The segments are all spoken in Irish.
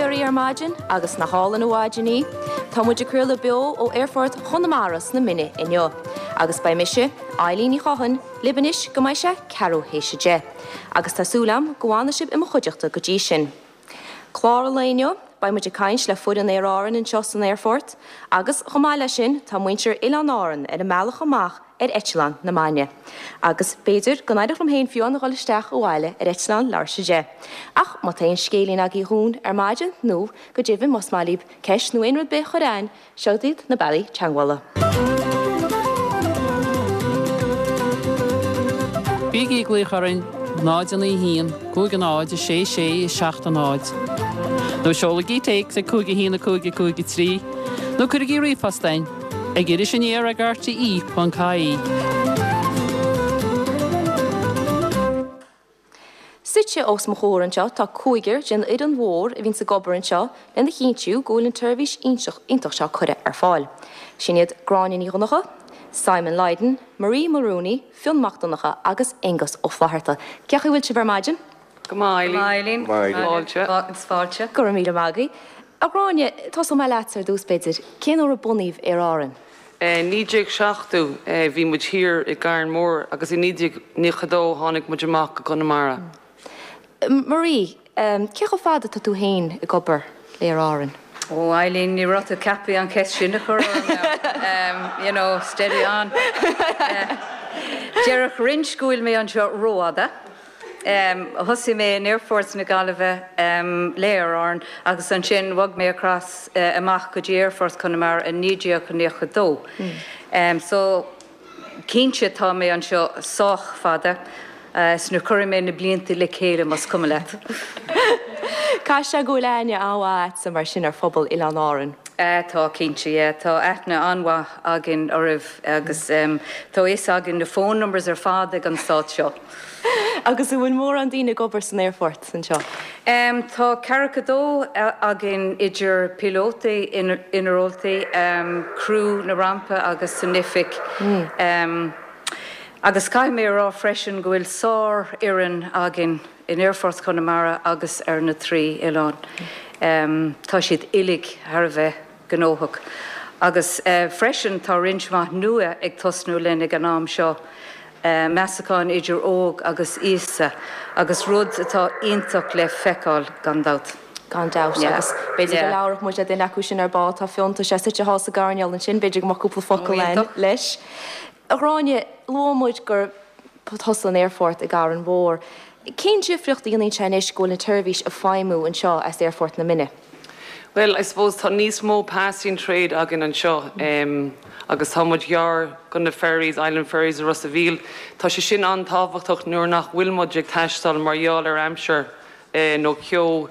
Chiarraí ar maidin agus nach álainn an mhaidin í? Tá muid ag craoladh beo ó Aerfort Chonamara sna Mine inniu. Agus beidh mise, Eileen Ní Chothain, libh anois go mbeidh sé ceathrú théis a 10. Agus tá súil agam go bhfanfaidh sibh i mo chuideachta go dtí sin. Clár an lae inniu, beidh muid ag caint le foireann Aer Árann anseo san aerfort agus chomh maith leis sin tá muintir Oileáin Árann ar a mbealach amach ar eitleán na Maidne. Agus b'fhéidir go n-éireodh liom féin fiú a dhul isteach abhaile ar eitleán leathuair théis a 10. Ach má tá aon scéilín agaibh dhúinn ar maidin nó go deimhin más maith libh ceist nó aon rud ar bith a chur a'ainn, seod iad na bealaí teagmhála. Bígí ag glaoch orainn 0 9 1 5 0 6 6 7 0 nó seolaigí téacs ag 5 1 5 5 3 nó cuirigí ríomhphost a'ainn. Ag Iris Aniar ag rte.ie. Suite os mo chomhair anseo tá cúigear den fhoireann mhór a bhíonns ag obair anseo lena chinntiú go bhfuil an tseirbhís iontach seo curtha ar fáil. Sin iad Gráinne Ní Dhonncha, Simon Lydon, Marie Mulrooney, Fionn Mac Donncha agus Aengus Ó Flatharta. Cén chaoi a bhfuil sibh ar maidin? Go maith, Eileen. Go maith, Eileen. Fáilte. Agus fáilte. Go raibh míle maith agaibh. A Ghráinne, tosóidh mé leatsa ar dtús, b'fhéidir. Cén uair a bunaíodh Aer Árann? 1970 bhí muid thiar i gCarn Mór agus i 1992 tháinig muid amach go Conamara. Marie, cé chomh fada atá tú féin ag obair le Aer Árann? Ó, Eileen, ní raibh tú ceaptha an cheist sin a chur orm now. You know, steady on. Déarfadh roinnt go bhfuil mé anseo rófhada. Thosaigh mé in Aerfort na Gaillimhe le Aer Árann agus ansin bhog mé across amach go dtí Aerfort Chonamara i 1992. So cinnte tá mé anseo sách fada is nuair cuirfidh mé na blianta le chéile más cuma leat. Caithfidh sé go bhfuil aithne an-mhaith a'dsa mar sin ar phobal Oileáin Árann. Tá, cinnte, yeah. Tá aithne an-mhaith againn oraibh agus tá a fhios againn na phone numbers ar fad ag an stát seo. Agus an bhfuil mórán daoine ag obair san aerfort anseo? Tá ceathracha dó againn idir píolótaí, inealltóirí, criú na rampa agus san oifig. Agus caithfidh mé a rá freisin go bhfuil sár-fhoireann againn in Aerfort Chonamara agus ar na trí oileán. Tá siad uilig thar a bheith gnóthach. Agus freisin tá roinnt mhaith nua ag tosnú linn ag an am seo, meascán idir óg agus aosta, agus rud atá iontach le feiceáil gan dabht. Gan dabht. Agus b'fhéidir go labharfadh muid le duine acu sin ar ball, tá Fionn, tá sé suite thall sa gcoirnéal ansin, b'fhéidir go mbeadh cúpla focal againn leis. A Ghráinne, luaigh muid gur thosaigh an aerfort i gCarn Mhór. Cén difríocht a dhéanann sé anois go bhfuil an tseirbhís ag feidhmiú anseo as Aerfort na Mine? Bhuel, I suppose tá níos mó passing trade againn anseo agus tá muid gar go na ferries, Island Ferries i Ros a' Mhíl. Tá sé sin an-tábhachtach nuair nach bhfuil muid ag taisteal mar gheall ar aimsir nó ceo.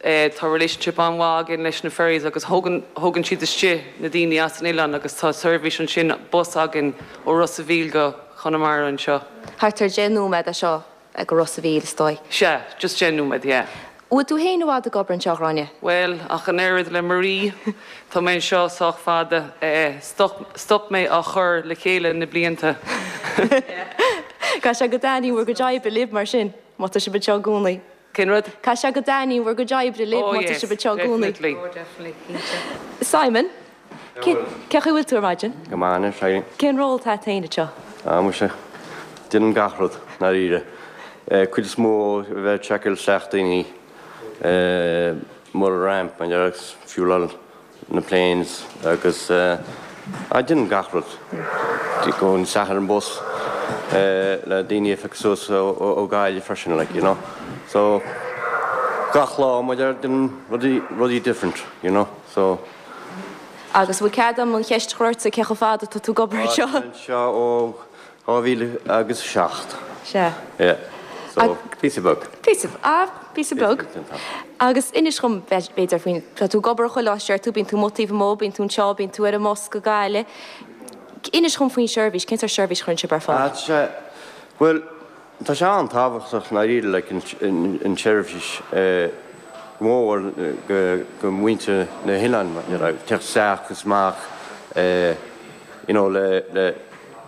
Tá relationship an-mhaith againn leis na ferries agus thógann, thógann siad istigh na daoine as an oileán agus tá seirbhís ansin, bus againn ó Ros a' Mhíl go Conamara anseo. Thart ar 10 nóiméad é seo go Ros a' Mhíl, is dóigh. Sea, just 10 nóiméad, yeah. Bhfuil tú féin i bhfad ag obair anseo, a Ghráinne? Bhuel, ach an oiread le Marie, tá mé anseo sách fada. Stop, stop mé á chur le chéile na blianta. Caithfidh sé go dtaitníonn bhur gcuid oibre libh mar sin, má tá sibh anseo i gcónaí. Cén rud? Caithfidh sé go dtaitníonn bhur gcuid oibre libh má tá sibh anseo i gcónaí. Definitely. Oh definitely, cinnte. Simon, cén chaoi a bhfuil tú ar maidin? Go maith anois, Eileen. Cén ról atá agat féin anseo? Ah, muise, déanaim gach rud, ndáiríre. Cuid is mó a bheith ag seiceáil isteach daoine, mar ramp, agus fueláil na planes agus ah déanaim gach rud. Gabhaim isteach ar an bus le daoine a phiocadh suas ó Gaillimh freisin like you know. So gach lá muid ar déanaim rudaí rudaí different you know so. Agus bhfuil cead agam an cheist a chur ortsa cé chomh fada atá tú ag obair anseo? Tá mé anseo ó 2007. Sea. Yeah. So, píosa beag. Píosa, ah, píosa beag. Agus inis dhom, b'fhéidir, faoin, tá tú ag obair chuile lá, deir tú, bíonn tú amuigh taobh amuigh, bíonn tú anseo, bíonn tú ar an mbus go Gaillimh. Inis dhom faoin seirbhís, cén sórt seirbhís a chuireann sibh ar fáil? Ah, tá sé, bhuel, tá sé an-tábhachtach i ndáiríre, like, an tseirbhís, go mór go muintir na hoileáin, you know, teacht isteach is amach, you know, le, le,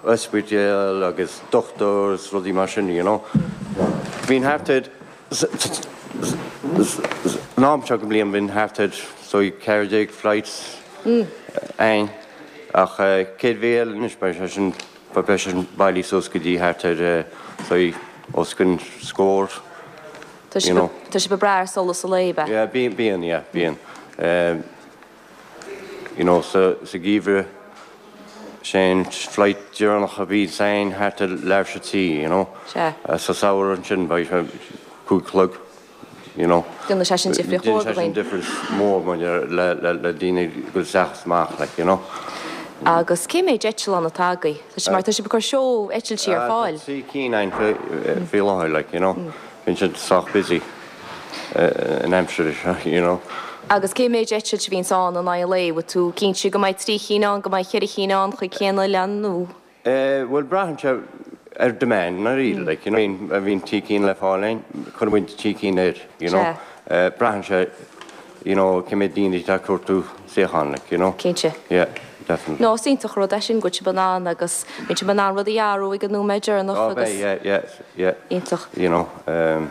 ospidéal agus dochtúir is rudaí mar sin, you know. Bíonn thart ar. An am seo den bhliain bíonn thart ar so 14 flights ann ach céad mhí eile anois beidh sé sin beidh sé sin bailithe suas go dtí thart ar so os cionn scór you know. Tá sibh ag brath ar solas an lae, ab ea? Yeah bíonn bíonn yeah bíonn. You know sa sa gheimhreadh sé an flight deireanach a bhíonns ann thart ar leathuair tar éis a 3 you know. Sea. Sa samhradh ansin beidh sé 5 a chlog you know. Déanann sé sin difríocht mhór do Déanann sé sin dhaoine. difference mór maidir le le le daoine ag dul isteach is amach like you know. Agus cé méid eitleán atá agaibh? Tá sé mar tá sibh ag cur seó eitiltí ar fáil. Tá trí cinn ann faoi faoi láthair like you know. Bíonn siad sách busy an aimsir seo, you know. Agus cé méid eitilt a bhíonns ann in aghaidh an lae? Bhfuil tú cinnte go mbeidh trí chinn ann, go mbeidh cheithre chinn ann chuig cén oileán nó? Eh, bhuel braitheann sé ar demand i ndáiríre, like, you know. Má bhíonn trí cinn le fáil ann, cuireann muid trí cinn air, you know. Sea. Braitheann sé, you know, cé méid daoine atá ag cuartú suíochán, like, you know. Cinnte. Yeah, definitely. No, is iontach an rud é sin go bhfuil sibh in ann agus bíonn sibh in ann rudaí a athrú ag an nóiméad deireanach Oh, agus. beidh, yeah, yeah, yeah. Iontach. You know, um,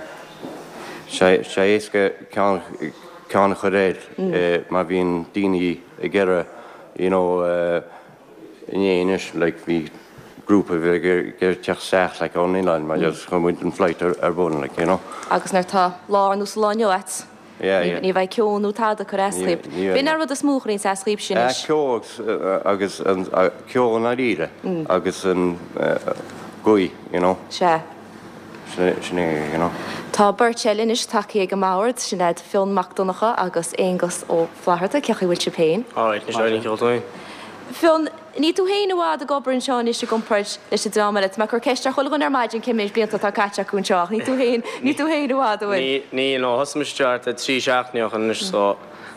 sé, sé éasca ceann, ceann a chur air má bhíonn daoine ag iarraidh, you know, uh, inné anois, like, bhí grúpa a bhí ag iarraidh teacht isteach, like, ón oileán, mar just chuir muid an flight ar, ar bun, like, you know. Agus nuair atá lá ar nós an lá inniu a'd, Yeah, yeah. Ní bheidh ceo nó tada ag cur as dhaoib. B'in an rud is mó a chuireanns as dhaoibhse anois. Ceo agus an ceo i ndáiríre agus an gaoth, you know. Sea. Sin é, you know. Tá beirt eile anois tagtha ag an mbord, sin iad Fionn Mac Donncha agus Aonghus Ó Flatharta. Cén chaoi a bhfuil sibh féin? Alright, anois éiríonn ceol dúinn. Fionn, Níl tú féin i bhfad ag obair anseo anois i gcomparáid leis an dream eile. Tá mé ag cur ceist ar chuile dhuine ar maidin cé méid blianta atá caite acu anseo ach níl tú féin, níl tú féin i bhfad, an bhfuil? Níl, no, thosaigh mise anseo thart ar 3 seachtainí ó shin anois so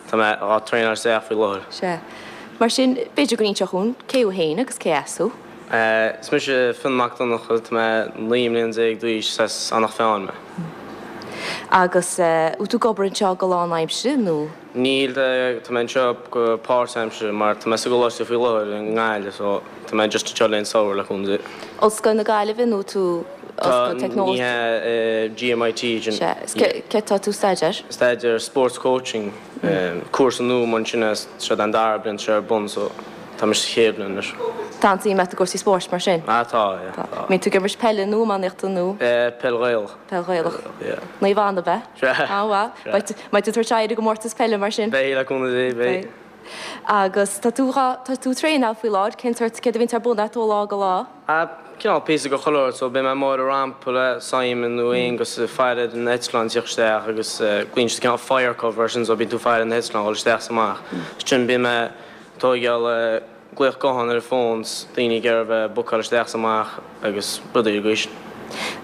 tá mé á traenáil isteach faoi láthair. Sea. Mar sin, b'fhéidir go n-inseofá dhúinn cé thú féin agus cé as thú? Is mise Fionn Mac Donncha, tá mé 19 mbliana d'aois, is as Eanach Mheáin mé. Agus bhfuil tú ag obair anseo go lánaimseartha nó? Níl, tá mé anseo go páirtaimseartha mar tá mé sa gcoláiste faoi láthair i nGaillimh so tá mé just anseo le an samhradh le cúnamh Dé. Ollscoil na Gaillimhe nó tú Tá, Ollscoil ní hea, GMIT sin. Sea, is céard tá tú ag staidéar? Staidéar Sports Coaching, cúrsa nua mar sin é, seo an dara bliain tá sé ar bun so tá mise sa chéad bhliain anois. Tá an-suim agat i gcúrsaí spóirt mar sin? Ah tá, yeah, tá. Mbíonn tú ag imirt peile nó iománaíochta nó? Peil Ghaelach. Peil Ghaelach. Yeah. Naomh Anna, ab ea? Sea. An-mhaith. Beidh tú ag tabhairt aghaidh ar an gcomórtas peile mar sin? Beidh, le cúnamh Dé, beidh. Agus tá tú dhá, tá tú ag traenáil faoi láthair, cén sórt, céard a bhíonns ar bun a't ó lá go lá? Cineál píosa de chuile shórt, so beidh mé amuigh ar an rampa le Simon nó Aonghus ag faire ar na heitleáin ag tíocht isteach agus glaonn siad cineál fire cover air sin, so bíonn tú ag faire ar na heitleáin ag dul isteach is amach. Ansin bíonn mé ag tóigeáil glaoch gutháin ar an bhfón 's daoine ag iarraidh a bheith ag bookáil isteach 's amach agus rudaí ar an gcaoi sin.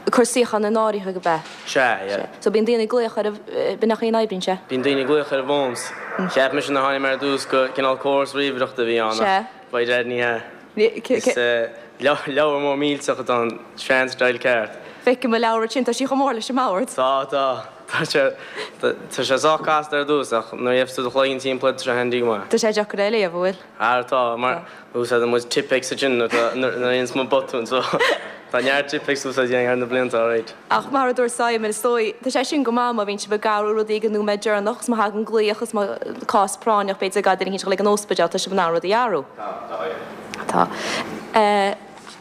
Ag cur suíochán in áirithe ab ea? Sea, yeah. Sea. So bíonn daoine ag glaoch ar an, b'in an chaoi a n-oibríonn sé? Bíonn daoine ag glaoch ar an bhfón 's cheap mise nuair a tháinig mé ar dtús go cineál córas ríomhaireachta a bhí ann ach Sea. by dad ní hea. Is leabhar mór millteach atá ann, sean style ceart. Feicim an leabhar ansin, tá sí chomh mór leis an mbord. Tá, tá. Tá sé, tá sé sách casta ar dtús ach nuair a gheibheas tú do chloigeann timpeall air tá sé handy go maith. Tá sé deacair é a léamh, an bhfuil? Ara tá, mar úsáideann muid Tipp-Ex ansin nuair atá, nuair a dhéanas muid botún so tá neart Tipp-Ex úsáidte againn thar na blianta alright. Ach mar a dúirt Simon, is dóigh, tá sé sin go maith má bhíonn sibh ag athrú rudaí ag an nóiméad deireanach agus má thagann glaoch is má cás práinneach b'fhéidir ag duine éicint ag dul ag an ospidéal tá sibh in ann rudaí a athrú. Tá, tá, yeah. Tá. Eh.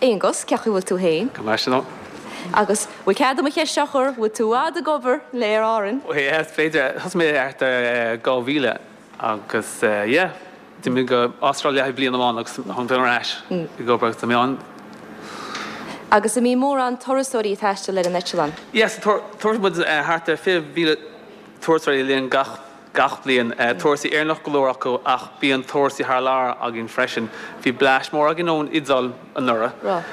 Aonghus, cén chaoi a bhfuil tú féin? Go maith, sin Agus bhfuil cead agam an cheist seo a chur, bhfuil tú i bhfad ag obair le Aer Árann? Yeah, is féidir. Thosaigh mé thart ar 2000 agus yeah, d'imigh mé go Astráil le haghaidh bliain amháin agus tháinig mé ar ais ag obair agus tá mé ann. Agus an mbíonn mórán turasóirí ag taisteal ar an eitleán? Yeah, so tabharfaidh muid thart ar 20,000 turasóirí linn gach gach bliain. Turasóirí Éireannach go leor acu ach bíonn turasóirí thar lear againn freisin. Bhí bleaist mór againn ón Iodáil anuraidh.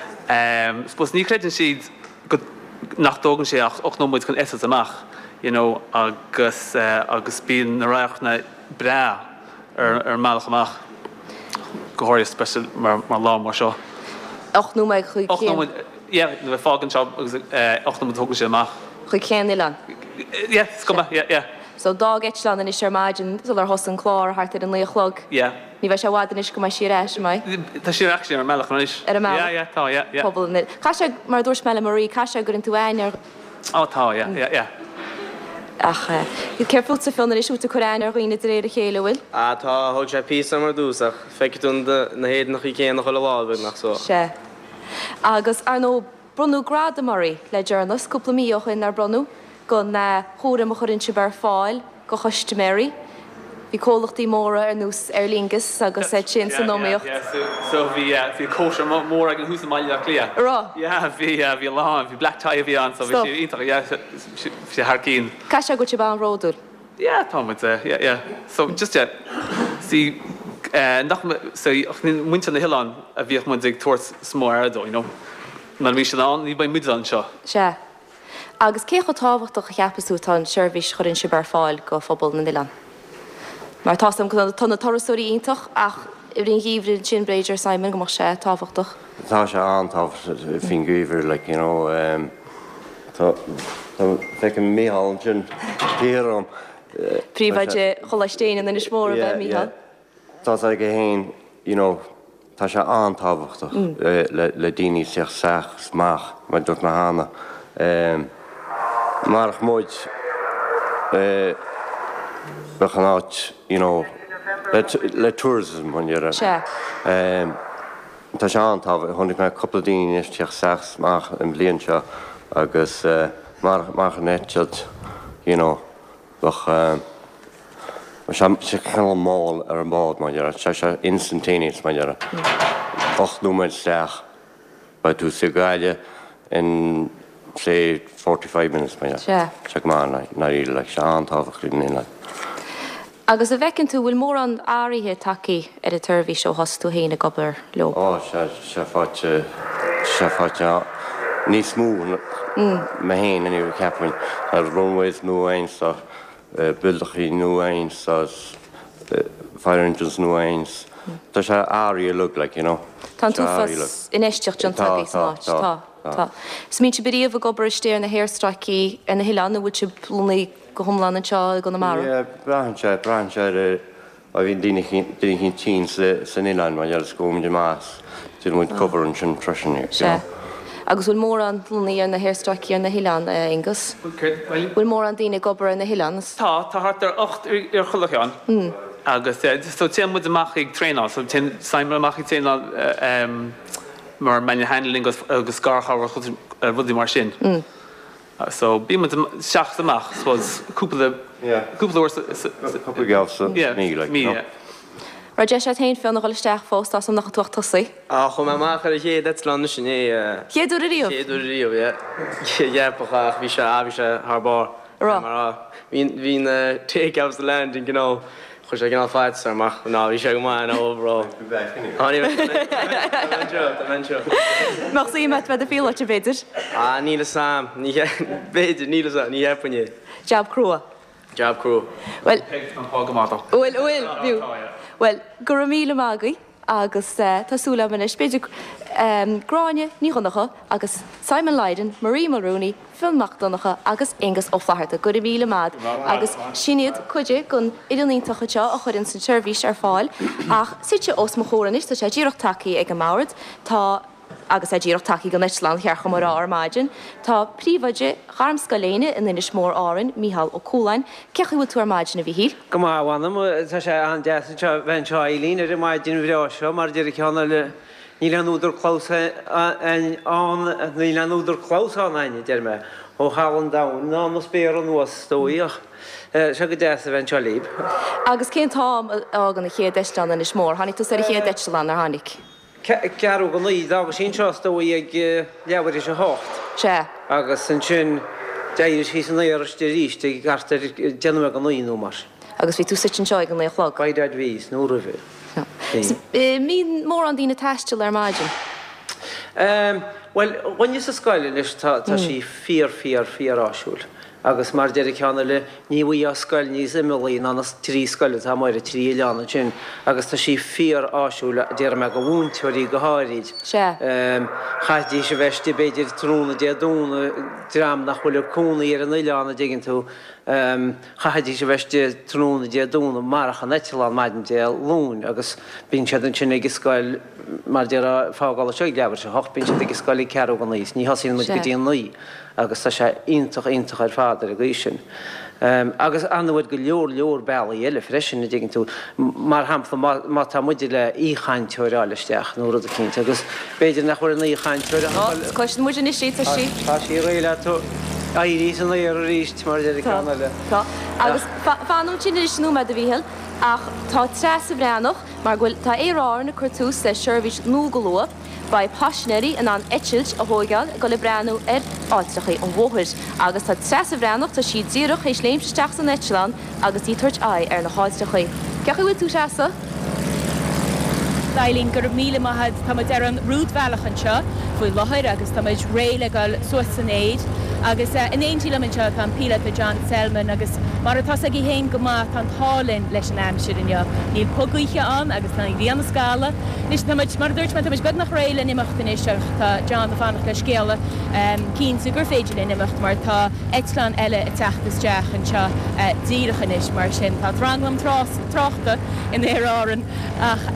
Suppose ní chreideann siad go nach dtógann sé ach 8 nóiméad chun eitilt amach you know agus agus bíonn na radharcanna breá ar ar an mbealach amach go háirithe especially mar mar lá mar seo. 8 nóiméad chuig 8 nóiméad yeah nuair a fágann seo agus 8 nóiméad tógann sé amach. Chuig cén oileán? Yeah is cuma yeah yeah. So d'fhág eitleán anois ar maidin sular thosaigh an clár thart ar a 9 a chlog. Yeah. Ní bheidh sé i bhfad anois go mbeidh sí ar ais, an mbeidh? Tá sí actually ar an mbealach anois. Ar an mbealach? Yeah, yeah, tá, yeah, yeah. Pobal an Caithfidh sé, mar a dúirt mé le Marie, caithfidh sé go gcuireann tú aithne ar. Oh tá, yeah, yeah, yeah. Ach céard fútsa Fionn anois, bhfuil tú ag cur aithne ar dhaoine de réir a chéile, an bhfuil? Ah tá, thóg sé píosa orm ar dtús ach feicfidh tú na héadanachaí céanna chuile lá beagnach so. Sea. Agus ar ndóigh bronnadh gradam oraibh le deireanas, cúpla mí ó shin nár bronnadh, don chúram a chuireann sibh ar fáil do chustaiméirí. Bhí comhlachtaí móra ar nós Aer Lingus agus iad sin san iomaíocht. Yeah, yeah, so bhí, bhí cóisir mór againn thuas i mBaile Átha Cliath. An raibh? Yeah, bhí, yeah, bhí a lán, bhí black tie a bhí ann so bhí sé iontach, yeah, bhí sé thar cinn. Caithfidh sé go bhfuil sibh an-bhródúil. Yeah, tá muid, yeah, yeah. So just, yeah, see, nach, so muintir na hoileán a bhíodh muid ag tabhairt is mó aire dó, you know. Nuair a bhí siad ann, ní bheidh muid anseo. Sea. Agus cé chomh tábhachtach a cheapas tú atá an tseirbhís a chuireann sibh ar fáil go phobal na n-oileán? Mar tá's agam tá na turasóirí iontach ach i rith an gheimhridh ansin b'fhéidir, Simon, go mbeadh sé tábhachtach. Tá sé an-tábhachtach faoin gheimhreadh like you know tá tá feicim Mícheál ansin thiar orm. Príomhoide Choláiste Éinne in Inis Mór ab ea Mícheál? Tá's aige fhéin you know tá sé an-tábhachtach le daoine teacht isteach is amach mar a dúirt mé cheana. Marach muid bheadh an áit you know le tourism an deireadh. Sea. Tá sé an-tábhachtach, chonaic mé cúpla daoine anois teacht isteach is amach an bhliain seo agus marach an eitilt you know bheadh Tá sé cineál mall ar an bhád mar a déarfá, tá sé instantaneous mar a déarfá. 8 nóiméad isteach, beidh tú sa Ghaillimh in say 45 minutes mar a déarfá. Sea. Tá sé go maith i ndáiríre, like, tá sé an-tábhachtach don oileán. Agus an bhfeiceann tú, bhfuil mórán athraithe tagtha ar an tseirbhís ó thosaigh tú féin ag obair leo? Ó, sea, sea, faighte, sea, faighte níos mó mé féin anyway, ceapaim. Tá runways nua ann so buildeachaí nua ann so fire engines nua ann. Tá sé athraithe uilig like, you know. Tá an t-uafás infheistíocht déanta agaibh san áit. Tá, tá. Tá. Is mbíonn sibh ariamh ag obair istigh ar na haerstráicí ar na hoileáin nó bhfuil sibh lonnaithe go hiomlán anseo i gConamara? Yeah, braitheann sé, braitheann sé ar Má bhíonn duine eicínt tinn san oileán mar gheall is gabhaimid amach is déanann muid cover ansin freisin, you know. Sea. Agus bhfuil mórán lonnaithe ar na haerstráicí ar na hoileáin, a Aonghus? Bhfuil céard? Bhfuil mórán daoine ag obair ar na hoileáin? Tá, tá thart ar 8 ar chuile cheann. Agus so téann muid amach ag traenáil, so téann Simon amach ag traenáil mar manual handling agus garchabhair rudaí mar sin. So bíonn muid isteach is amach, suppose, cúpla, cúpla uair sa, sa, Cúpla geábh sa mí, like, mí, yeah. Raibh deis agat féin Fionn a dhul isteach fós, tá 's agam nach raibh tú ach tosaithe. Ah, chuaigh mé amach ar an chéad eitleán anois inné. Chéad uair ariamh? Chéad uair ariamh, yeah. Cheapfá ach bhí sé, ah, bhí sé thar barr. Raibh? Mar, ah, bhí, bhí na take offs the landing, you know. Chuir sé cineál faitíos orm ach ná bhí sé go maith ná overall. Tá ní bheidh anseo, tá mé anseo. Mbeadh suim agat bheith i do phíolóta b'fhéidir? Ah níl fhios a'm, ní b'fhéidir, níl fhios a'm, ní cheapfainn é. Jab crua. Jab crua. Bhuel. Tá an pá go maith dó. Bhuel, bhuel, bhí. Bhuel, go raibh míle maith agaibh. Agus tá súil agam anois, b'fhéidir, Gráinne Ní Dhonncha agus Simon Lydon, Marie Mulrooney, Fionn Mac Donncha agus Aengus Ó Flatharta. Go raibh míle maith agat. Agus sin iad cuid den fhoireann iontach anseo a chuireanns an tseirbhís ar fáil. Ach suite os mo chomhair anois, tá sé díreach tagtha ag an mbord, tá. Agus é díreach tagtha den eitleán, ba cheart dhom a rá ar maidin, tá príomhoide Ghairmscoil Éinne in Inis Mór Árainn, Mícheál Ó Cualáin. Cén chaoi a bhfuil tú ar maidin, a Mhíchíl? Go maith, a mh'anam. Tá sé an-deas anseo, bheith anseo, a Eileen, ar an maidin bhreá seo. Mar a deir an ceann eile, níl aon údar clamhsáin ann, níl aon údar clamhsáin a'inn, a deir mé, ó thalamh an domhain ná na spéartha anuas, is dóigh, ach tá sé go deas a bheith anseo libh. Agus cén t-am a fhágann an chéad eitleán Inis Mór? Tháinig tusa ar an chéad eitleán, ar tháinig? Ceathrú go naoi, d'fhága sí anseo is dóigh ag leathuair théis a hocht. Sea. Agus ansin d'éirigh sí san aer istigh arís ag thart ar deich nóiméad go naoi nó mar sin. Agus bhí tú suite anseo ag a naoi a chlog? By dad bhí, nó roimhe. Bhí. Mbíonn mórán daoine ag taisteal ar maidin? Bhuel, dhuine sa scoil anois tá sí fíor fíor fíor áisiúil. Agus mar a deir an ceann eile, ní bhfaighfeá scoil níos imeallaí ná na trí scoil atá amuigh ar an trí oileán ansin agus tá sí fíor-áisiúil, déarfaidh mé, do mhúinteoirí go háirid. Sea. Chaithfidís a bheith istigh b'fhéidir tráthnóna Dé Domhnaigh, dream nach bhfuil ag cónaí ar an oileán, an dtuigeann tú, chaithfidís a bheith istigh tráthnóna Dé Domhnaigh marach an eitleán maidin Dé Luain agus bíonn siad ansin ag an scoil, mar a déarfá, ag fágáil anseo ag leathuair tar éis a hocht, bíonn siad ag an scoil ag ceathrú go naoi is ní thosaíonn muid go dtí a naoi. agus tá sé iontach, iontach ar fad ar an gcaoi sin. Agus ar ndóigh go leor leor bealaí eile freisin, an dtuigeann tú. Mar shampla, má, má tá muide le aoichainteoir a fháil isteach nó rud eicínt agus b'fhéidir nach bhfuil an aoichainteoir a Ó, cloiseann muid anois í, tá sí. Tá sí réidh le tú éirí san aer arís, mar a deir an ceann eile. Tá. Agus fan ansin anois nóiméad, a Mhíchíl, ach tá Treasa Bhreathnach, mar go bhfuil, tá Aer Árann ag cur tús le seirbhís nua go luath. Beidh paisinéirí in ann eitilt a thóigeáil ag dul ag breathnú ar ailltreachaí an Mhothair. Agus tá Treasa Bhreathnach, tá sí díreach théis léimt isteach san eitleán agus í ag tabhairt aghaidh ar na hailltreachaí. Cén chaoi a bhfuil tú, Treasa? Eileen, Go raibh míle maith agat. Tá muid ar an rúidbhealach anseo faoi láthair agus tá muid réidh le dul suas san aer. Agus in éindí liom anseo tá an píolóta John Selman agus mar atá 's agaibh féin go maith tá an t-ádh linn leis an aimsir inniu. Níl puth gaoithe ann agus tá an ghrian ag scalladh. Anois tá muid, mar a dúirt mé, tá muid beagnach réidh le n-imeacht anois ach tá John ag fanacht le scéala cinnte gur féidir linn imeacht mar tá eitleán eile ag teacht isteach anseo díreach anois mar sin tá tranglam tráchta in Aer Árann ach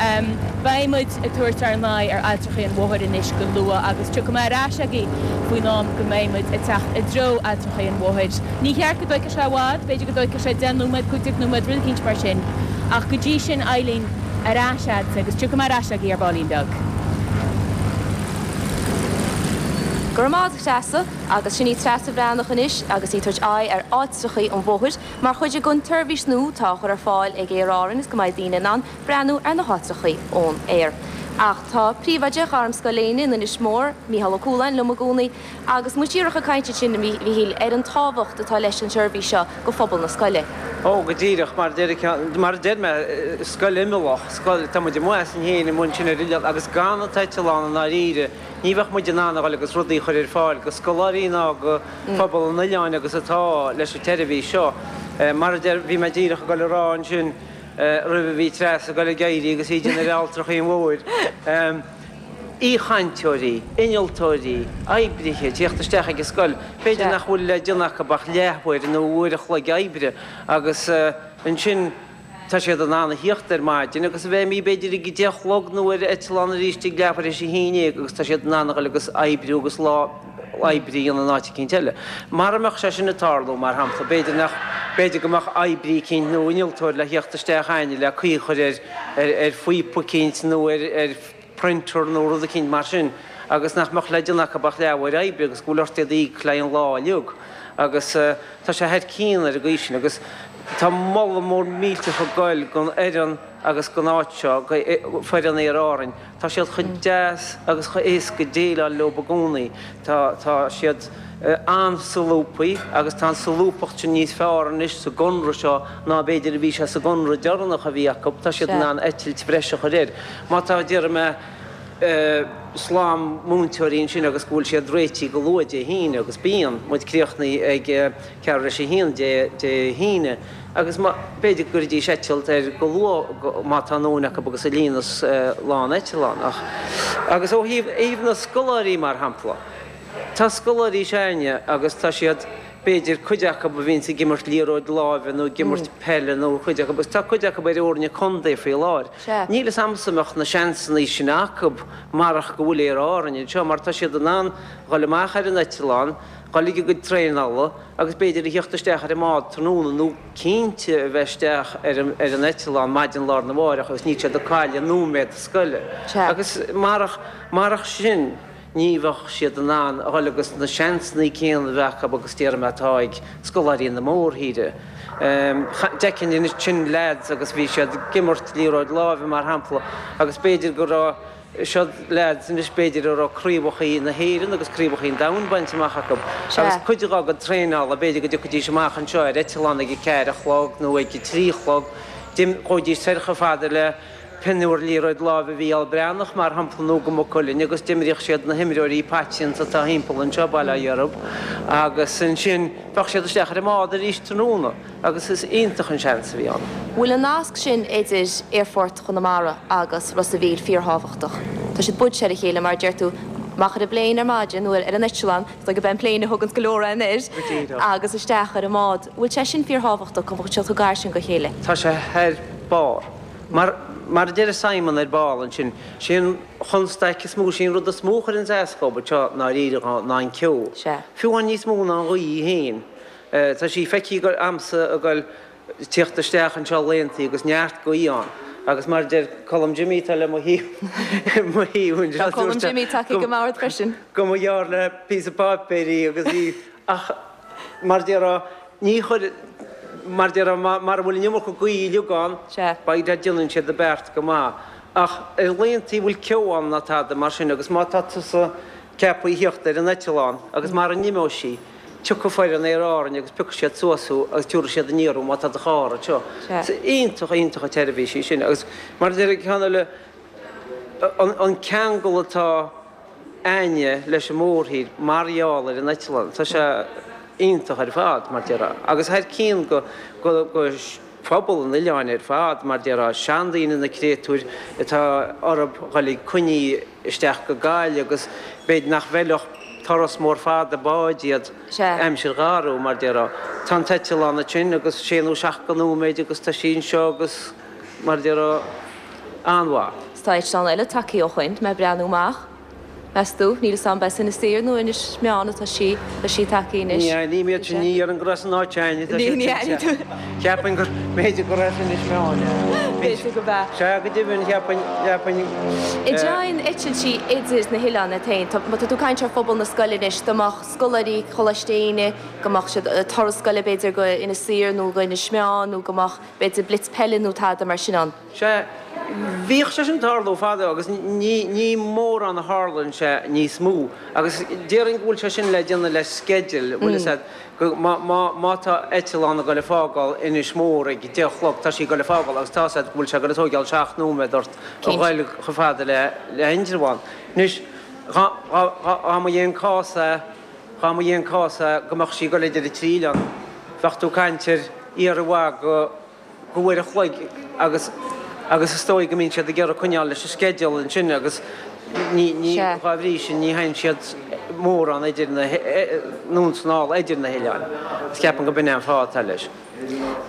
beidh muid ag tabhairt ár n-aghaidh ar Ailltreachaí an Mhothair anois go luath agus tiocfaidh mé ar ais agaibh faoin am go mbeidh muid ag teacht i dtreo Ailltreachaí an Mhothair. Ní cheart go dtóigfeadh sé i bhfad, b'fhéidir go dtóigfeadh sé 10 nóiméad, 15 nóiméad, rud eicínt mar sin ach go dtí sin Eileen, Ar ais a'dsa agus tiocfaidh mé ar ais agaibh ar baillín beag. Go raibh maith agat, a Threasa. Agus sin í Treasa Bhreathnach anois agus í ag tabhairt aghaidh ar ailltreachaí an Mhothair mar chuid den tseirbhís nua atá á chur ar fáil ag Aer Árann is go mbeidh daoine in ann breathnú ar na háitreachaí ón aer. Ach tá príomhoide Ghairmscoil Éinne in Inis Mór, Mícheál Ó Cualáin, liom i gcónaí agus muid díreach ag caint ansin, a Mhíchíl, ar an tábhacht atá leis an tseirbhís seo go phobal na scoile. Ó, go díreach, mar a deir, mar a deir mé, scoil imeallach, scoil, tá muid amuigh asainn féin amuigh ansin ar oileán agus gan an t-eitleán i ndáiríre, ní bheadh muid in ann a dhul agus rudaí a chur ar fáil go scoláirí ná go phobal an oileáin agus atá leis an tseirbhís seo. Mar a deir, bhí mé díreach ag dul a rá ansin roimh a bhí Treasa ag dul ag éirí agus í ag déanamh ar Ailltreachaí an Mhothair, aoichainteoirí, innealtóirí, oibrithe ag tíocht isteach ag an scoil, b'fhéidir nach bhfuil le déanamh acu ach leathuair nó uair a chloig oibre agus ansin tá siad in ann a thíocht ar maidin agus a bheith imithe b'fhéidir ag a deich a chlog nó ar eitleán arís ag leathuair théis a haon déag agus tá siad in ann a dhul agus oibriú agus lá oibre a dhéanamh in áit eicínt eile. Mara mbeadh sé sin ag tarlú, mar shampla, b'fhéidir nach, b'fhéidir go mbeadh oibrí eicínt nó innealtóir le thíocht isteach a'inne le caoi a chur ar, ar, ar phíopa eicínt nó ar, ar printer nó rud eicínt mar sin agus nach mbeadh le déanamh acu ach leathuair oibre agus go bhfuil ort iad a íoc le haghaidh an lá uilig agus tá sé thar cionn ar an gcaoi sin agus tá moladh mór millteach ag goil don fhoireann agus don áit seo, go foireann Aer Árainn. Tá siad chomh deas agus chomh éasca déileáil leo i gcónaí. Tá, tá siad an-solúbtha agus tá an solúbthacht sin níos fearr anois sa gconradh seo ná b'fhéidir a bhí sé sa gconradh deireanach a bhí acu. Tá siad in ann eitilt bhreise a chur air. Má tá, déarfaidh mé, slám múinteoirí ansin agus go bhfuil siad réitithe go luath Dé hAoine agus bíonn muid críochnaithe ag ceathrú tar éis a haon Dé Dé hAoine agus má, b'fhéidir go gcuirfidís eitilt air go luath má tá a ndóthain acu agus a líonfas lán eitleán ach agus ó thaobh thaobh na scoláirí mar shampla tá scoláirí s'againne agus tá siad b'fhéidir cuid acu a bhíonns ag imirt liathróid láimhe nó ag imirt peile nó cuid acu agus tá cuid acu ar fhoirne contae faoi láthair. Níl fhios a'msa an mbeadh na seansanna sin acu marach go bhfuil Aer Árainn anseo mar tá siad in ann dhul amach ar an eitleán, dhul ag a gcuid traenála agus b'fhéidir a thíocht isteach ar an mbád tráthnóna nó cinnte a bheith isteach ar an eitleán maidin lá arna mháireach agus níl siad ag cailleadh nóiméad scoile. Agus marach, marach sin ní bheadh siad in ann a dhul agus na seansanna céanna a bheith acu agus déarfaidh mé atá ag scoláirí na mórthíre. D'fheicfinn ansin leaids agus bhí siad ag imirt liathróid láimhe mar shampla agus b'fhéidir go raibh, siod leaids anois b'fhéidir a raibh craobhachaí na hÉireann agus craobhachaí an domhain bainte amach acu agus cuid dhá gcuid traenála b'fhéidir go dtiocfaidís amach anseo ar eitleán ag a ceathair a chlog nó ag a trí a chlog, ghabhaidís soir chomh fada le pinniúr liathróid láimhe Mhícheál Breathnach, mar shampla, nó go Maigh Cuilinn agus d'imríodh siad na himreoirí paiteanta atá thimpeall anseo, bail ó Dhia orthu, agus ansin bheadh siad isteach ar an mbád arís tráthnóna agus is iontach an seans a bhí ann. Bhfuil an nasc sin idir Aerfort Chonamara agus Ros a' Mhíl fíorthábhachtach? Tá siad buailte ar a chéile, mar a deir tú, amach ar an bpléin ar maidin nó ar an eitleán, is dóigh gurb é an pléin a thuganns go leor againn air, agus isteach ar an mbád. Bhfuil sé sin fíorthábhachtach, go bhfuil siad chomh gar sin go chéile? Tá sé thar barr. Mar, mar a deir Simon ar ball ansin, sé an chonstaic is mó, sé an rud is mó a chuireanns as dhób anseo i ndáiríre ná an ceo. Sea. Fiú amháin níos mó ná an ghaoth féin. Tá sí feicthe agamsa ag goil tíocht isteach anseo laethantaí agus neart gaoth ann agus mar a deir Colm Jimmy atá le mo thaobh mo thaobh anseo Tá Colm Jimmy tagtha ag an mbord freisin. go mba ghearr le píosa páipéir í agus í ach mar a déarfá ní chuir mar a déarfá mara bhfuil an iomarca gaoth uilig ann beidh déanann siad a beart go maith ach ar laethantaí a bhfuil ceo ann ná tada mar sin agus má tá tusa ceaptha a thíocht ar an eitleán agus mara n-imeoidh sí, tiocfaidh foireann Aer Árainn agus piocfaidh siad suas thú agus tiúrfaidh siad aniar thú má tá do charr anseo. Is iontach, iontach an tseirbhís í sin agus mar a deir an ceann eile, an ceangal atá a'inne leis an mórthír mar gheall ar an eitleán, tá sé iontach ar fad, mar a déarfá. Agus thar cionn go, go, go phobal an oileáin ar fad, mar a déarfá, seandaoine na créatúir atá orthu dhul ag coinní isteach go Gaillimh agus b'fhéidir nach bhfeilfeadh turas mór fada báid iad aimsir gharbh, mar a déarfá. Tá an t-eitleán ansin agus sé nó seacht de nóiméid agus tá sí anseo agus, mar a déarfá, an-mhaith. 'S tá eitleán eile tagtha ó shoin, mé ag breathnú amach. Meas tú? Níl 'fhios a'm ab as Inis Oírr nó Inis Meáin atá sí, tá sí tagtha anois. Ní aithním iad sin, ní dhéarfainn gur as an áit a'inne atá siad sin, sea. Cheapfainn gur, b'fhéidir gur as Inis Meáin é. B'fhéidir go b'ea. Sea, go deimhin, cheapfainn, cheapfainn. An dtéann eitiltí idir na hoileáin iad féin, tá, má tá tú ag caint ar phobal na scoile anois, dá mbeadh scoláirí Choláiste Éinne, go mbeadh siad, turas scoile b'fhéidir go Inis Oírr nó go Inis Meáin nó go mbeadh b'fhéidir blitz peile nó tada mar sin ann. Sea, bhíodh sé sin ag tarlú fadó agus ní, ní mórán a tharlaíonn sé níos mó. Agus déarfainn go bhfuil sé sin le déanamh le sceideal, bhfuil fhios a'd, go, má, má, má tá eitleán ag goil ag fágáil Inis Mór ag deich a chlog, tá sí ag goil ag fágáil agus tá fhios a'd go bhfuil sé ag goil ag tóigeáil seacht nóiméad ort a ghoil chomh fada le, le Indreabhán. Anois, dhá, dhá, dhá, dhá mba é an cás é, dhá mba é an cás é go mbeadh sí ag goil idir an trí oileán, bheadh tú ag caint ar iarraidh mhaith go, go uair a chloig agus agus is dóigh go mbíonn siad ag iarraidh coinneáil leis an sceideal ansin agus ní ní dhá bhrí sin ní théann siad mórán idir na anonn 's anall idir na hoileáin. Is ceapaim go b'in é an fáth atá leis.